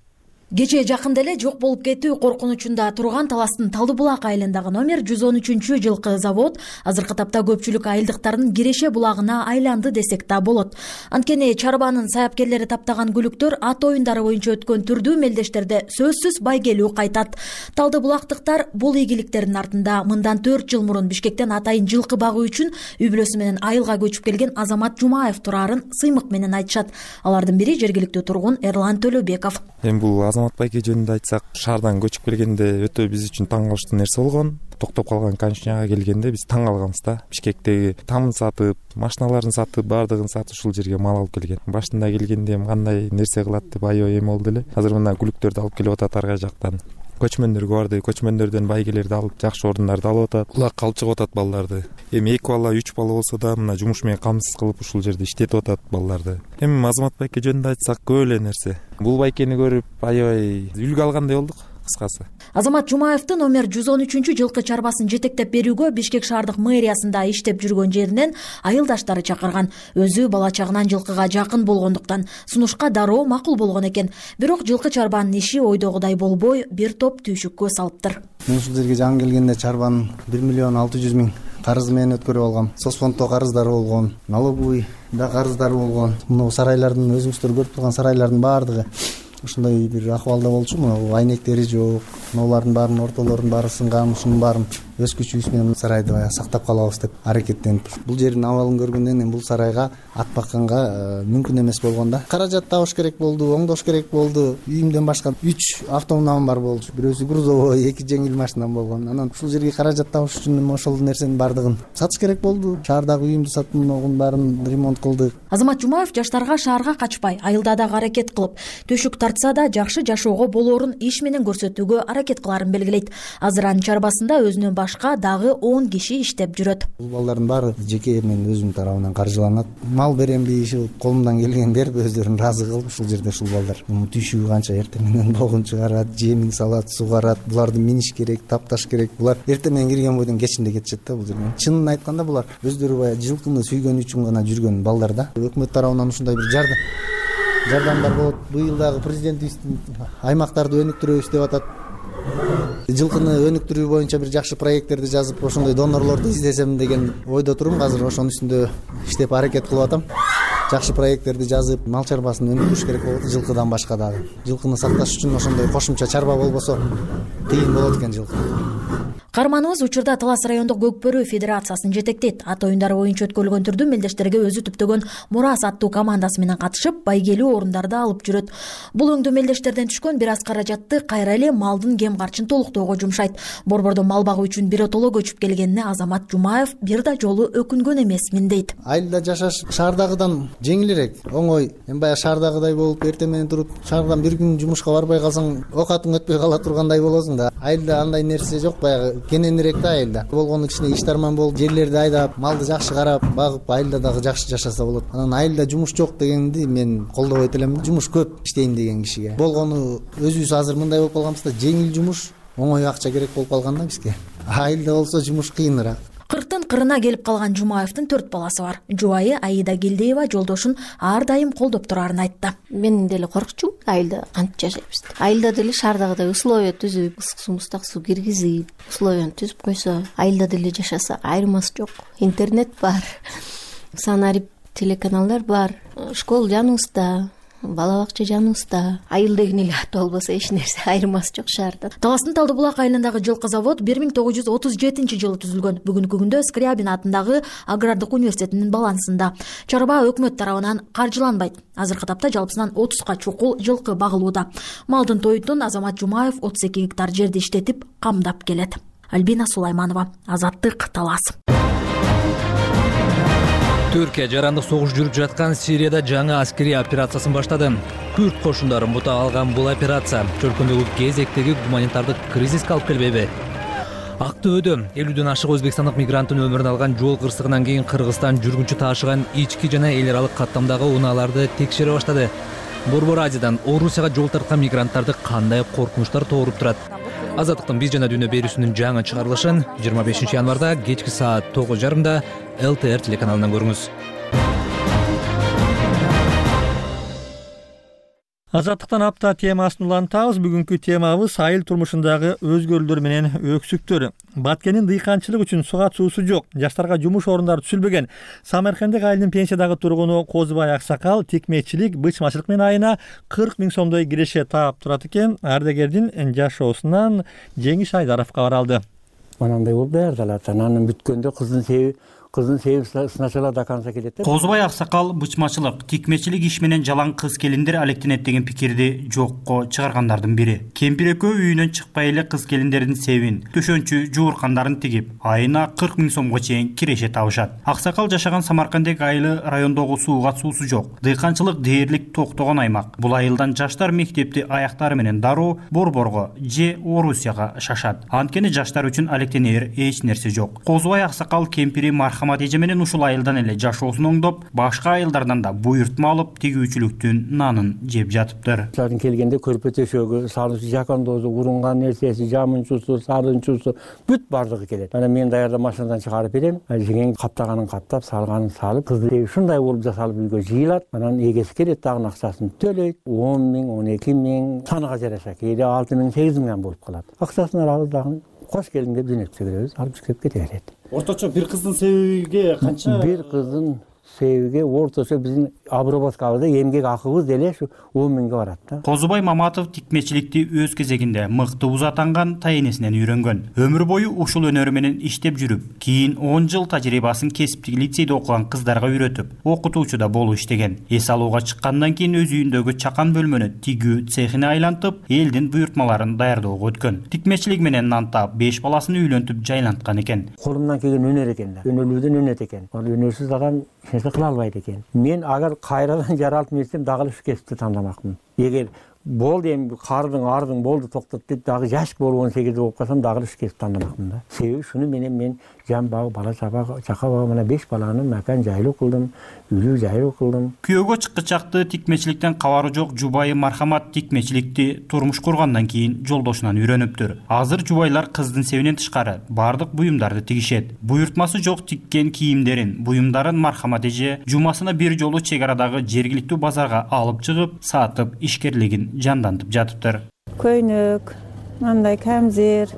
Кечээ жакында эле жок болуп кетүү коркунучунда турган Таластын Талды булак айылындагы номер жүз он үчүнчү жылкы завод азыркы тапта көпчүлүк айылдыктардын киреше булагына айланды десек да болот. Анткени чарбанын саяпкерлери таптаган күлүктөр ат оюндары боюнча өткөн түрдүү мелдештерде сөзсүз байгелүү кайтат. Талды булактыктар бул ийгиликтердин артында мындан төрт жыл мурун Бишкектен атайын жылкы багуу үчүн үй бүлөсү менен айылга көчүп келген Азамат Жумаев турарын сыймык менен айтышат. Алардын бири жергиликтүү тургун Эрлан Төлөбеков.
Эми бул Азамат байке жөнүндө айтсак, шаардан көчүп келгенде өтө биз үчүн таң калыштуу нерсе болгон. Токтоп калган конечныйга келгенде биз таң калганбыз да. Бишкектеги тамын сатып, машиналарын сатып, баардыгын сатып ушул жерге мал алып келген. Башында келгенде эми кандай нерсе кылат деп аябай эме болду эле. Азыр мына күлүктөрдү алып келип атат ар кай жактан. Көчмөндөр барды, көчмөндөрдөн байгелерди алып, жакшы орундарды алып атат. Улак калчыгып атат балдарды. Эми эки бала, үч бала болсо да мына жумуш менен камсыз кылып ушул жерде иштетип атат балдарды. Эми Азамат байке жөнүндө айтсак, көп эле нерсе. Бул байкени көрүп аябай үлгү алгандай болдук. Кыскасы.
Азамат Жумаевдин номер жүз он үчүнчү жылкы чарбасын жетектеп берүүгө Бишкек шаардык мэриясында иштеп жүргөн жеринен айылдаштары чакырган. Өзү бала чагынан жылкыга жакын болгондуктан сунушка дароо макул болгон экен. Бирок жылкы чарбанын иши ойдогудай болбой, бир топ түйшүккө салыптыр.
Мен ушул жерге жаңы келгенде чарбанын бир миллион алты жүз миң карызы менен өткөрүп алгам. Соцфонддо карыздары болгон, налоговый да карыздары болгон. Мына сарайлардын, өзүңүздөр көрүп турган сарайлардын баардыгы ушундай бир акыбалда болчу. Мына айнектери жок, алардын баарынын ортолорунун баары сынган. Ушунун баарын өз күчүбүз менен сарайды баягы сактап калабыз деп аракеттенип. Бул жердин абалын көргөндөн кийин бул сарайга ат бакканга мүмкүн эмес болгон да. Каражат табыш керек болду, оңдош керек болду. Үйүмдөн башка үч автоунаам бар болчу. Бирөөсү грузовой, эки жеңил машинам болгон. Анан ушул жерге каражат табыш үчүн ошол нерсенин баардыгын сатыш керек болду. Шаардагы үйүмдү сатып, мунун баарын ремонт кылдык.
Азамат Жумаев жаштарга шаарга качпай, айылда дагы аракет кылып, төшүк тартса да жакшы жашоого болоорун иш менен көрсөтүүгө аракет аракет кыларын белгилейт. Азыр анын чарбасында өзүнөн башка дагы он киши иштеп жүрөт.
Бул балдардын баары жеке мен өзүм тарабынан каржыланат. Мал беремби, иши колумдан келген берип өздөрүн ыраазы кылып ушул жерде ушул балдар түшүү канча эртең менен болгун чыгарат, жемин салат, сугарат. Буларды миниш керек, тапташ керек. Булар эртең менен кирген бойдон кечинде кетишет да бул жерден. Чынын айтканда булар өздөрү баягы жылкыны сүйгөн үчүн гана жүргөн балдар да. Өкмөт тарабынан ушундай бир жардам жардамдар болот. Быйыл дагы президентибиздин аймактарды өнүктүрөбүз деп атат. Жылкыны өнүктүрүү боюнча бир жакшы проекттерди жазып, ошондой донорлорду издесем деген ойдо турум. Азыр ошонун үстүндө иштеп аракет кылып атам. Жакшы проекттерди жазып, мал чарбасын өнүктүрүш керек болот. Жылкыдан башка дагы. Жылкыны сакташ үчүн ошондой кошумча чарба болбосо кыйын болот экен жылкы.
Каарманыбыз учурда Талас райондук Көкбөрү федерациясын жетектейт. Ат оюндары боюнча өткөрүлгөн түрдү мелдештерге өзү түптөгөн Мурас аттуу командасы менен катышып, байгелүү орундарды алып жүрөт. Бул өңдүү мелдештерден түшкөн бир аз каражатты кайра эле малдын кем карчын толуктоого жумшайт. Борбордо мал багуу үчүн биротоло көчүп келгенине Азамат Жумаев бир да жолу өкүнгөн эмесмин дейт.
Айылда жашаш шаардагыдан жеңилирээк, оңой. Эми баягы шаардагыдай болуп, эртең менен туруп, шаардан бир күн жумушка барбай калсаң, окатың өтпөй кала тургандай болосуң да. Айылда андай нерсе жок, баягы кененирээк да айылда. Болгону кичине иштарман болуп, жерлерди айдап, малды жакшы карап, багып, айылда дагы жакшы жашаса болот. Анан айылда жумуш жок дегенди мен колдобойт элем. Жумуш көп иштейм деген кишиге. Болгону өзүбүз азыр мындай болуп калганбыз да, жеңил жумуш, оңой акча керек болуп калган да бизге. Айылда болсо жумуш кыйыныраак.
Кырктын кырына келип калган Жумаевдин төрт баласы бар. Жубайы Аида Гелдеева жолдошун ар дайым колдоп турарын айтты.
Мен деле коркчумун, айылда кантип жашайбыз. Айылда деле шаардагыдай условия түзүп, ысык суу, муздак суу киргизип, условияны түзүп койсо, айылда деле жашаса айырмасы жок. Интернет бар, санарип телеканалдар бар, школа жаныбызда, бала бакча жаныбызда. Айыл деген эле аты болбосо эч нерсе айырмасы жок шаарда.
Таластын Талдыбулак айылындагы жылкы завод бир миң тогуз жүз отуз жетинчи жылы түзүлгөн. Бүгүнкү күндө Скрябин атындагы Агрардык университетинин балансында. Чарба өкмөт тарабынан каржыланбайт. Азыркы тапта жалпысынан отузга чукул жылкы багылууда. Малдын тойтун Азамат Жумаев отуз эки гектар жерди иштетип камдап келет. Альбина Сулайманова, Азаттык, Талас.
Түркия жарандык согуш жүрүп жаткан Сирияда жаңы аскерий операциясын баштады. Күрд кошундарын бута алган бул операция чөлкөмдөгү кезектеги гуманитардык кризиске алып келбейби? Актөбөдө элүүдөн ашык өзбекстандык мигранттын өмүрүн алган жол кырсыгынан кийин Кыргызстан жүргүнчү таашыган ички жана эл аралык каттамдагы унааларды текшере баштады. Борбор Азиядан Орусияга жол тарткан мигранттарды кандай коркунучтар тооруп турат? Азаттыктын биз жана дүйнө берүүсүнүн жаңы чыгарылышын жыйырма бешинчи январда кечки саат тогуз жарымда эл тэ эр телеканалынан көрүңүз.
Азаттыктан апта темасын улантабыз. Бүгүнкү темабыз айыл турмушундагы өзгөрүүлөр менен өксүктөр. Баткендин дыйканчылык үчүн сугат суусу жок, жаштарга жумуш орундары түзүлбөгөн. Самаркандык айылдын пенсиядагы тургуну Козубай Аксакал тикмечилик, бычмачылык менен айына кырк миң сомдой киреше таап турат экен. Ардагердин жашоосунан Жеңиш Айдаров кабар алды.
Манандай болуп даярдалат. Анан бүткөндө кыздын себеби кыздын себеби сначала до конца келет.
Козубай Аксакал бычмачылык, тикмечилик иш менен жалаң кыз келиндер алектенет деген пикирди жокко чыгаргандардын бири. Кемпир экөө үйүнөн чыкпай эле кыз келиндердин себин, төшөнчү жууркандарын тигип, айына кырк миң сомго чейин киреше табышат. Аксакал жашаган Самаркандек айылы райондогу сууга суусу жок. Дыйканчылык дээрлик токтогон аймак. Бул айылдан жаштар мектепти аяктары менен дароо Борборго же Орусияга шашат. Анткени жаштар үчүн алектенер эч нерсе жок. Козубай Аксакал кемпири мархамат эже менен ушул айылдан эле жашоосун оңдоп, башка айылдардан да буйртма алып, тигүүчүлүктүн нанын жеп жатыптыр.
Алардын келгенде көрпө төшөгү, салышы, жакандоозу, урунган нерсеси, жамынчусу, сарынчусу бүт бардыгы келет. Анан мен даярдап машинадан чыгарып берем. Жеңең каптаганын каптап, салганын салып, кызды ушундай болуп жасалып үйгө жыйылат. Анан эгеси келет, дагы акчасын төлөйт. он миң, он эки миң, санага жараша кээде алты миң, сегиз миң болуп калат. Акчасын алабыз, дагы кош келдиң деп жөнөтүп беребиз, алып чыгып кете берет.
Орточо бир кыздын себебиге канча?
Бир кыздын себебиге орточо биздин обработкабызда эмгек акыбыз деле ушу он миңге барат да.
Козубай Маматов тикмечиликти өз кезегинде мыкты узатанган тайенесинен үйрөнгөн. Өмүр бою ушул өнөрү менен иштеп жүрүп, кийин он жыл тажрыйбасын кесиптик лицейде окуган кыздарга үйрөтүп, окутуучу да болуп иштеген. Эс алууга чыккандан кийин өз үйүндөгү чакан бөлмөнү тигүү цехине айлантып, элдин буйртмаларын даярдоого өткөн. Тикмечилик менен нантап, беш баласын үйлөнтүп жайланткан экен.
Колумдан келген өнөр экен да. Өнөрлүүдөн өнөт экен. Ал өнөрсүз адам эч нерсе кыла албайт экен. Мен агар кайрадан жаралып нерсем дагы ушу кесипти тандамакмын. Эгер болду эми кардың ардың болду токтот деп дагы жаш болуп он сегизде болуп калсам дагы ишке тандамакмын да. Себеби шуну менен мен жан багып бала чаба чака багып мына беш баланы макан жайлуу кылдым, үйлүү жайлуу кылдым.
Күйөөгө чыккычакты тикмечиликтен кабары жок жубайы Мархамат тикмечиликти турмуш кургандан кийин жолдошунан үйрөнүптүр. Азыр жубайлар кыздын себинен тышкары бардык буюмдарды тигишет. Буйртмасы жок тиккен кийимдерин, буюмдарын Мархамат эже жумасына бир жолу чек арадагы жергиликтүү базарга алып чыгып, сатып, ишкерлигин жандантып жатыптыр.
Көйнөк, мындай камзир,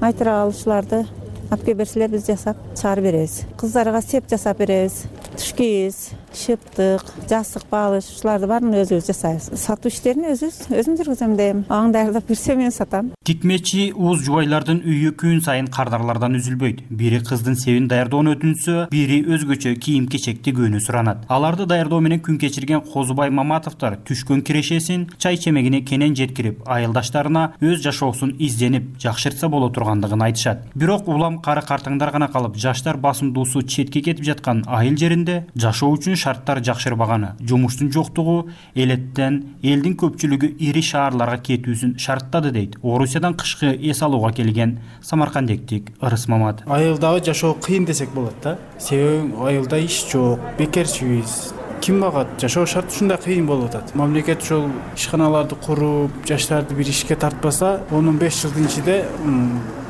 айтырал ушуларды алып келип берселер биз жасап чыгарып беребиз. Кыздарга сеп жасап беребиз. Туш кийиз, шыптык, жастык багыш ушуларды баарын өзүбүз жасайбыз. Сатуу иштерин өзүбүз өзүм жүргүзөм дейм. Аны даярдап берсе мен сатам.
Тикмечи уз жубайлардын үйү күн сайын кардарлардан үзүлбөйт. Бири кыздын себин даярдоону өтүнсө, бири өзгөчө кийим-кечекти көөнү суранат. Аларды даярдоо менен күн кечирген Козубай Маматовдор түшкөн кирешесин чай чемегине кенен жеткирип, айылдаштарына өз жашоосун изденип, жакшыртса боло тургандыгын айтышат. Бирок улам кары картаңдар гана калып, жаштар басымдуусу четке кетип жаткан айыл жеринде жашоо үчүн шарттар жакшырбаганы, жумуштун жоктугу элеттен элдин көпчүлүгү ири шаарларга кетүүсүн шарттады дейт Орусиядан кышкы эс алууга келген самаркандектик Ырыс Мамат.
Айылдагы жашоо кыйын десек болот да. Себеби айылда иш жок, бекерчибиз. Ким багат? Жашоо шарты ушундай кыйын болуп атат. Мамлекет ушул ишканаларды куруп, жаштарды бир ишке тартпаса, он беш жылдын ичинде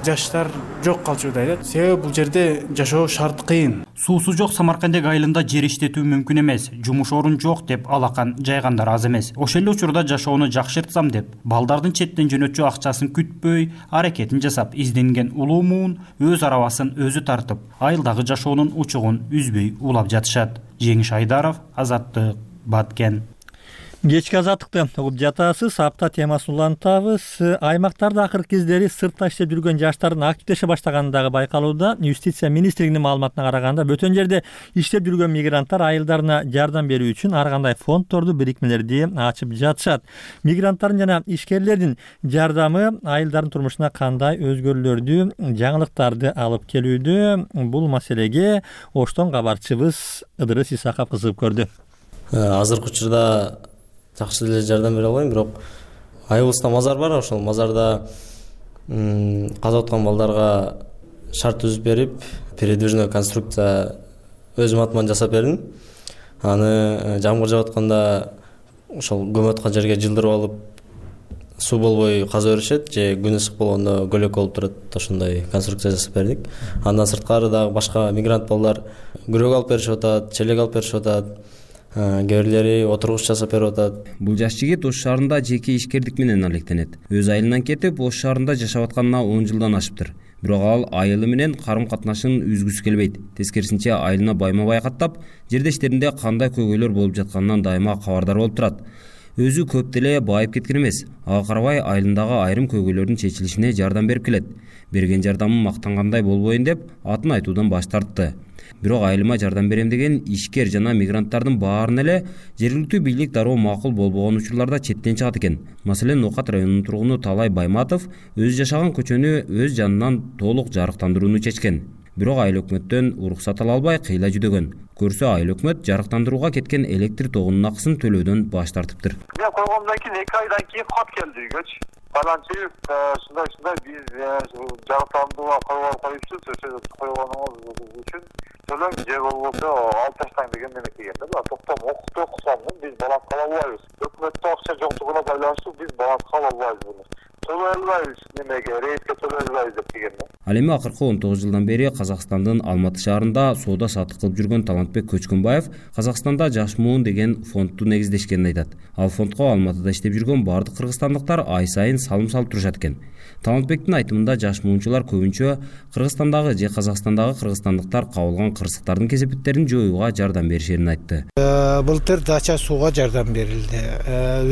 жаштар жок калчудай да. Себеби бул жерде жашоо шарты кыйын.
Суусу жок Самаркандек айылында жер иштетүү мүмкүн эмес. Жумуш орун жок деп алакан жайгандар аз эмес. Ошол эле учурда жашоону жакшыртсам деп, балдардын четтен жөнөтчү акчасын күтпөй, аракетин жасап, изденген улуу муун өз арабасын өзү тартып, айылдагы жашоонун учугун үзбөй улап жатышат. Жеңиш Айдаров, Азаттык, Баткен.
Кечки азаттыкты угуп жатасыз. Апта темасын улантабыз. Аймактарда акыркы кездери сыртта иштеп жүргөн жаштардын активдеше баштаганы дагы байкалууда. Юстиция министрлигинин маалыматына караганда, бөтөн жерде иштеп жүргөн мигранттар айылдарына жардам берүү үчүн ар кандай фонддорду, бирикмелерди ачып жатышат. Мигранттардын жана ишкерлердин жардамы айылдардын турмушуна кандай өзгөрүүлөрдү, жаңылыктарды алып келүүдө? Бул маселеге Оштон кабарчыбыз Ыдырыс Исаков кызыгып көрдү.
Азыркы учурда жакшы эле жардам бере албайм, бирок айылыбызда мазар бар, ошол мазарда каза аткан балдарга шарт түзүп берип, передвижной конструкция өзүм атыман жасап бердим. Аны жамгыр жаап атканда ошол көмөт аткан жерге жылдырып алып, суу болбой каза беришет, же күн ысык болгондо көлөк болуп турат. Ошондой конструкция жасап бердик. Андан сырткары дагы башка мигрант балдар күрөк алып беришип атат, челек алып беришип атат. Кээ бирлери отургуч жасап берип атат.
Бул жаш жигит Ош шаарында жеке ишкердик менен алектенет. Өз айылынан кетип, Ош шаарында жашап атканына он жылдан ашыптыр. Бирок ал айылы менен карым-катнашын үзгүсү келбейт. Тескерисинче айылына байма-бай каттап, жердештеринде кандай көйгөйлөр болуп жатканынан дайыма кабардар болуп турат. Өзү көп деле байып кеткен эмес. Ага карабай айылындагы айрым көйгөйлөрдүн чечилишине жардам берип келет. Берген жардамы мактангандай болбойн деп атын айтуудан баш тартты. Бирок айылыма жардам берем деген ишкер жана мигранттардын баарын эле жергиликтүү бийлик дароо макул болбогон учурларда четтен чыгат экен. Маселен, Нокат районунун тургуну Талай Байматов өзү жашаган көчөнү өз жанынан толук жарыктандырууну чечкен. Бирок айыл өкмөттөн уруксат ала албай кыйла жүдөгөн. Көрсө айыл өкмөт жарыктандырууга кеткен электр тогунун акысын төлөөдөн баш тартыптыр.
Мен койгондон кийин эки айдан кийин кат келди үйгөчү. Баланчы ушундай ушундай биз жарыктандырууга коюпсуз, ошо койгонуңуз үчүн төлөң же болбосо алып таштаң деген неме келген да. Токтом окуп окусам биз баланс ала албайбыз. Өкмөттө акча жоктугуна байланыштуу биз баланс ала албайбыз буну. Төлөй албайбыз немеге, рейске төлөй албайбыз деп деген да.
Ал эми акыркы он тогуз жылдан бери Казакстандын Алматы шаарында соода саттык кылып жүргөн Талантбек Көчкөнбаев Казакстанда Жаш муун деген фондду негиздешкенин айтат. Ал фондко Алматыда иштеп жүргөн бардык кыргызстандыктар ай сайын салым салып турушат экен. Талантбектин айтымында жаш муунчулар көбүнчө Кыргызстандагы же Казакстандагы кыргызстандыктар кабылган кырсыктардын кесепеттерин жоюуга жардам беришерин айтты.
Былтыр дача сууга жардам берилди.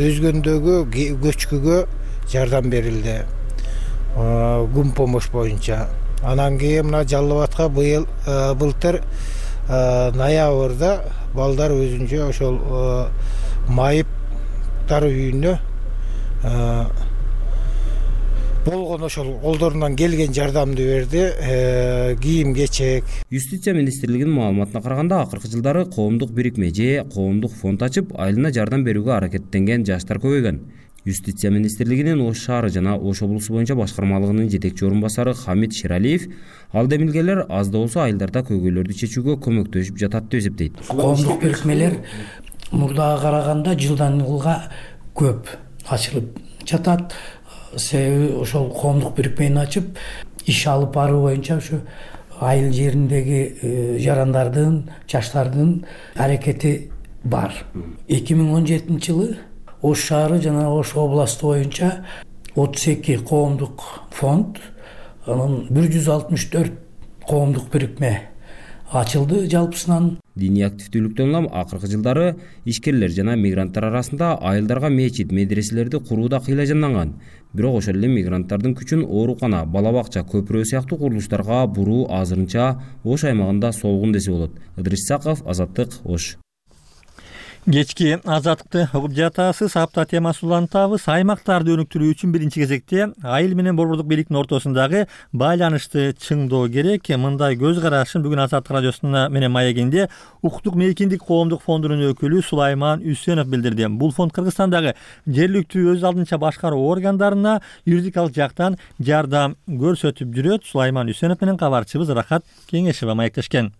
Өзгөндөгү көчкүгө жардам берилди. Гум помощь боюнча. Анан кийин мына Жалал Абадка быйыл былтыр ноябрда балдар өзүнчө ошол майыптар үйүнө болгон ошол колдорунан келген жардамды берди, кийим кечек.
Юстиция министрлигинин маалыматына караганда, акыркы жылдары коомдук бирикме же коомдук фонд ачып, айылына жардам берүүгө аракеттенген жаштар көбөйгөн. Юстиция министрлигинин Ош шаары жана Ош облусу боюнча башкармалыгынын жетекчи орун басары Хамит Шералиев ал демилгелер аз да болсо айылдарда көйгөйлөрдү чечүүгө көмөктөшүп жатат деп эсептейт.
Коомдук бирикмелер мурдага караганда жылдан жылга көп ачылып жатат. Себеби ошол коомдук бирикмени ачып иш алып баруу боюнча ушу айыл жериндеги жарандардын, жаштардын аракети бар. эки миң он жетинчи жылы Ош шаары жана Ош областу боюнча отуз эки коомдук фонд, анан бир жүз алтымыш төрт коомдук бирикме ачылды жалпысынан.
Диний активдүүлүктөн улам акыркы жылдары ишкерлер жана мигранттар арасында айылдарга мечит, медреселерди курууда кыйла-жанданган. Бирок ошол эле мигранттардын күчүн оорукана, бала бакча, көпүрө сыяктуу курулуштарга буруу азырынча Ош аймагында солгун десе болот. Ыдырыс Исаков, Азаттык, Ош.
Кечки азаттыкты угуп жатасыз. Апта темасын улантабыз. Аймактарды өнүктүрүү үчүн биринчи кезекте айыл менен борбордук бийликтин ортосундагы байланышты чыңдоо керек. Мындай көз карашын бүгүн Азаттык радиосуна менен маегинде Укуктук мейкиндик коомдук фондунун өкүлү Сулайман Үсенов билдирди. Бул фонд Кыргызстандагы жергиликтүү өз алдынча башкаруу органдарына юридикалык жактан жардам көрсөтүп жүрөт. Сулайман Үсенов менен кабарчыбыз Рахат Кеңешева маектешкен.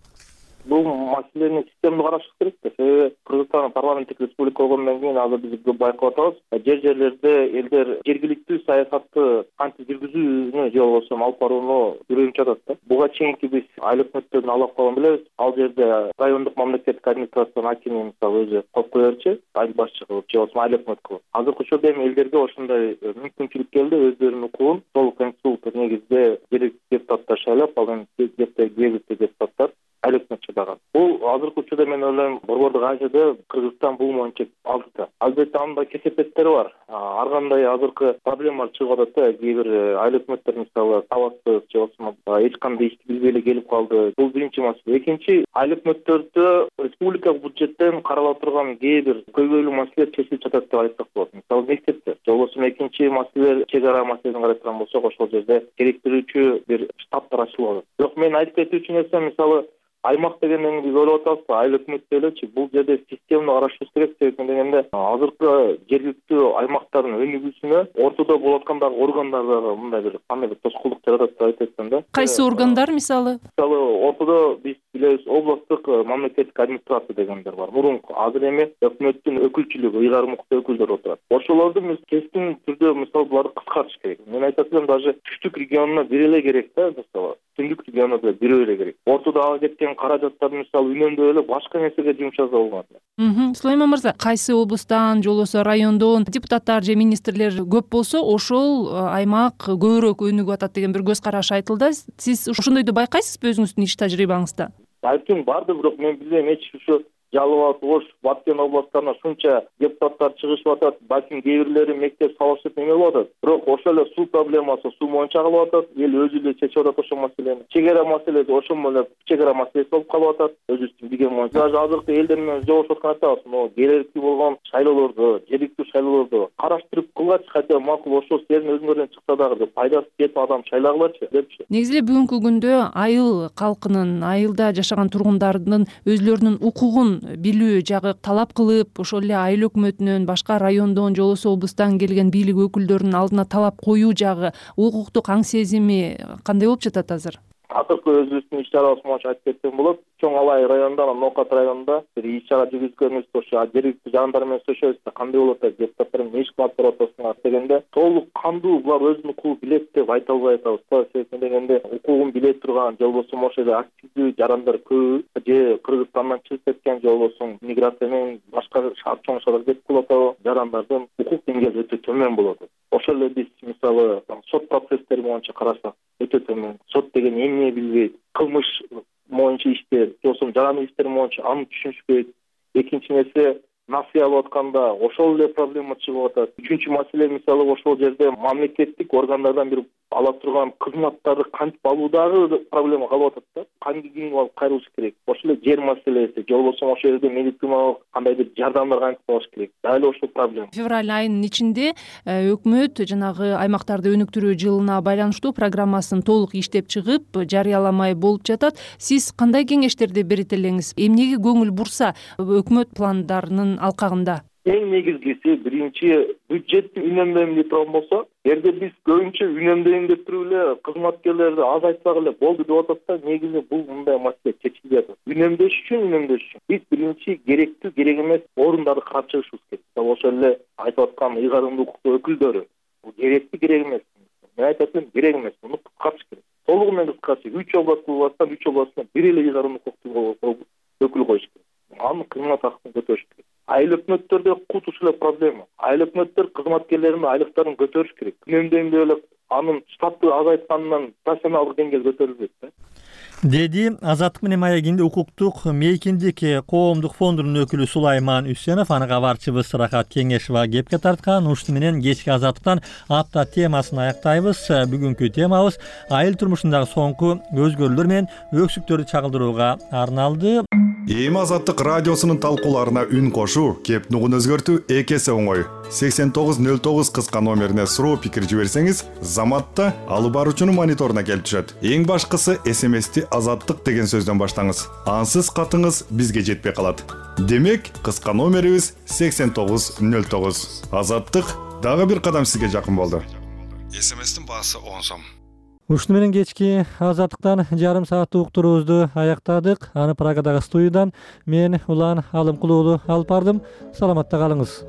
Бул маселени системдүү караш керек да. Себеби Кыргызстан парламенттик республика болгондон кийин азыр биз көп байкап атабыз. Жер жерлерде элдер жергиликтүү саясатты кантип жүргүзүүнү же болбосо алып барууну үйрөнүп жатат да. Буга чейинки биз айыл өкмөттөрүн алып калган билебиз. Ал жерде райондук мамлекеттик администрациянын акими мисалы өзү коюп коерчу, айыл башчы кылып же болбосо айыл өкмөт кылып. Азыркы учурда эми элдерге ошондой мүмкүнчүлүк келди, өздөрүнүн укугун сол конституция негизинде жергиликтүү депутаттар шайлап, ал эми жергиликтүү депутаттар айыл өкмөт чыдаган. Бул азыркы учурда мен ойлойм борбордук ажыда Кыргызстан бул боюнча алдыда. Албетте анда кесепеттери бар. Ар кандай азыркы проблемалар чыгып атат да. Кээ бир айыл өкмөттөр мисалы сабатсыз же болбосо эч кандай ишти билбей эле келип калды. Бул биринчи маселе. Экинчи, айыл өкмөттөрдө республикалык бюджеттен каралып турган кээ бир көйгөйлүү маселелер чечилип жатат деп айтсак болот. Мисалы мектептер. Же болбосо экинчи маселе чек ара маселесин карай турган болсок, ошол жерде керектирүүчү бир штабтар ачылып атат. Бирок мен айтып кетүүчү нерсе мисалы аймак дегенден биз ойлоп атабыз, айыл өкмөттө элечи бул жерде системалык карашыбыз керек. Себеби дегенде азыркы жергиликтүү аймактардын өнүгүүсүнө ортодо болуп аткан дагы органдар дагы мындай бир кандай бир тоскоолдук жаратат деп айтып атсам да.
Кайсы органдар мисалы?
Мисалы ортодо биз билебиз областтык мамлекеттик администрация дегендер бар. Мурунку азыр эми өкмөттүн өкүлчүлүгү, ыйгарым укуктуу өкүлдөр отурат. Ошолорду биз кескин түрдө мисалы буларды кыскартыш керек. Мен айтат элем, даже түштүк регионуна бири эле керек да, мисалы. Түндүк регионуна бири эле керек. Ортодо ага кеткен каражаттарды мисалы үнөмдөп эле башка нерсеге жумшаса болот.
Сулайман мырза, кайсы облустан же болбосо райондон депутаттар же министрлер көп болсо, ошол аймак көбүрөөк өнүгүп атат деген бир көз караш айтылды. Сиз ошондойду байкайсызбы өзүңүздүн иш тажрыйбаңызда?
Балким барды, бирок мен билбейм, эч ушу Жалал Абад, Ош, Баткен областарына шунча депутаттар чыгышып атат. Балким кээ бирлери мектеп салышып неме болуп атат. Бирок ошол эле суу проблемасы суу боюнча калып атат. Эл өзү эле чечип атат ошол маселени. Чек ара маселеси ошол эле чек ара маселеси болуп калып атат. Өзүбүздүн билген боюнча. Даже азыркы элдер менен жолугушуп аткан атабыз. Могу керектүү болгон шайлоолорду, жергиликтүү шайлоолорду караштырып кылгачы, хотя макул ошол силердин өзүңөрдөн чыкса дагы деп пайдасы жетип адам шайлагылачы депчи.
Негизи эле бүгүнкү күндө айыл калкынын, айылда жашаган тургундардын өзлөрүнүн укугун билүү жагы талап кылып, ошол эле айыл өкмөтүнөн, башка райондон же болбосо облустан келген бийлик өкүлдөрүнүн алдына талап коюу жагы, укуктук аң сезими кандай болуп жатат азыр?
Азыркы өзүбүздүн иш чарабыз боюнча айтып кетсем болот. Чоң Алай районунда, Нокат районунда бир иш чара жүргүзгөнбүз. Ошо жергиликтүү жандар менен сүйлөшөбүз да, кандай болот деп, депутаттар эмне иш кылып атасыңар дегенде, толук кандуу булар өзүнүн укугун билет деп айта албай атабыз. Себеби дегенде укугун биле турган, же болбосо ошол эле активдүү жарандар көп, же Кыргызстандан чыгып кеткен, же болбосо миграция менен башка шаар чоң шаарларга кетип калып атабы, жарандардын укук деңгээли өтө төмөн болот. Ошол эле биз мисалы сот процесстери боюнча карасак өтө төмөн. Сот деген эмне билбейт, кылмыш боюнча иштер, же болбосо жарандык иштер боюнча аны түшүнүшпөйт. Экинчи нерсе, насыя алып атканда ошол эле проблема чыгып атат. Үчүнчү маселе мисалы ошол жерде мамлекеттик органдардан бир ала турган кызматтарды кантип алуудагы проблема калып атат да. Кантип алып кайрылыш керек. Ошол эле жер маселеси, же болбосо ошол жерде медициналык кандайдыр жардамдар кантип алыш керек. Дал ошол проблема.
Февраль айынын ичинде өкмөт жанагы аймактарды өнүктүрүү жылына байланыштуу программасын толук иштеп чыгып, жарыяламай болуп жатат. Сиз кандай кеңештерди берет элеңиз? Эмнеге көңүл бурса өкмөт пландарынын алкагында?
эң негизгиси биринчи бюджетти үнөмдөйм деп турган болсо, эгерде биз көбүнчө үнөмдөйм деп туруп эле кызматкерлерди азайтсак эле болду деп атат да, негизи бул мындай маселе чечилбей атат. Үнөмдөш үчүн үнөмдөш үчүн биз биринчи керектүү керек эмес орундарды карчыгышыбыз керек. Ошол эле айтып аткан ыйгарымдуу укуктуу өкүлдөрү бул керектүү керек эмес. Мен айтат элем керек эмес, муну кыскартыш керек. Толугу менен кыскартыш. үч област болсо, үч областына бир эле ыйгарымдуу укуктуу өкүл коюш керек. Анын кызмат акысын көтөрүш керек. Айыл өкмөттөрдө кут ушул эле проблема. Айыл өкмөттөр кызматкерлеринин айлыктарын көтөрүш керек. Үнөмдөйм деп эле анын штаты азайтканынан профессионалдык деңгээл көтөрүлбөйт да.
Деди Азаттык менен маегинде укуктук мейкиндик коомдук фондунун өкүлү Сулайман Үсенов. Аны кабарчыбыз Рахат Кеңешова кепке тарткан. Ушуну менен кечки Азаттыктан апта темасын аяктайбыз. Бүгүнкү темабыз айыл турмушундагы соңку өзгөрүүлөр менен өксүктөрдү чагылдырууга арналды.
Эми Азаттык радиосунун талкууларына үн кошуу, кеп нугун өзгөртүү эки эсе оңой. сексен тогуз нөл тогуз кыска номерине суроо пикир жиберсеңиз, заматта алып баруучунун мониторуна келип түшөт. Эң башкысы эс эм эсти Азаттык деген сөздөн баштаңыз. Ансыз катыңыз бизге жетпей калат. Демек, кыска номерибиз сексен тогуз нөл тогуз. Азаттык дагы бир кадам сизге жакын болду. эс эм эстин баасы он сом.
Ушуну менен кечки Азаттыктан жарым сааттык уктуруубузду аяктадык. Аны Прагадагы студиядан мен Улан Алымкулуу алып бардым. Саламатта калыңыз.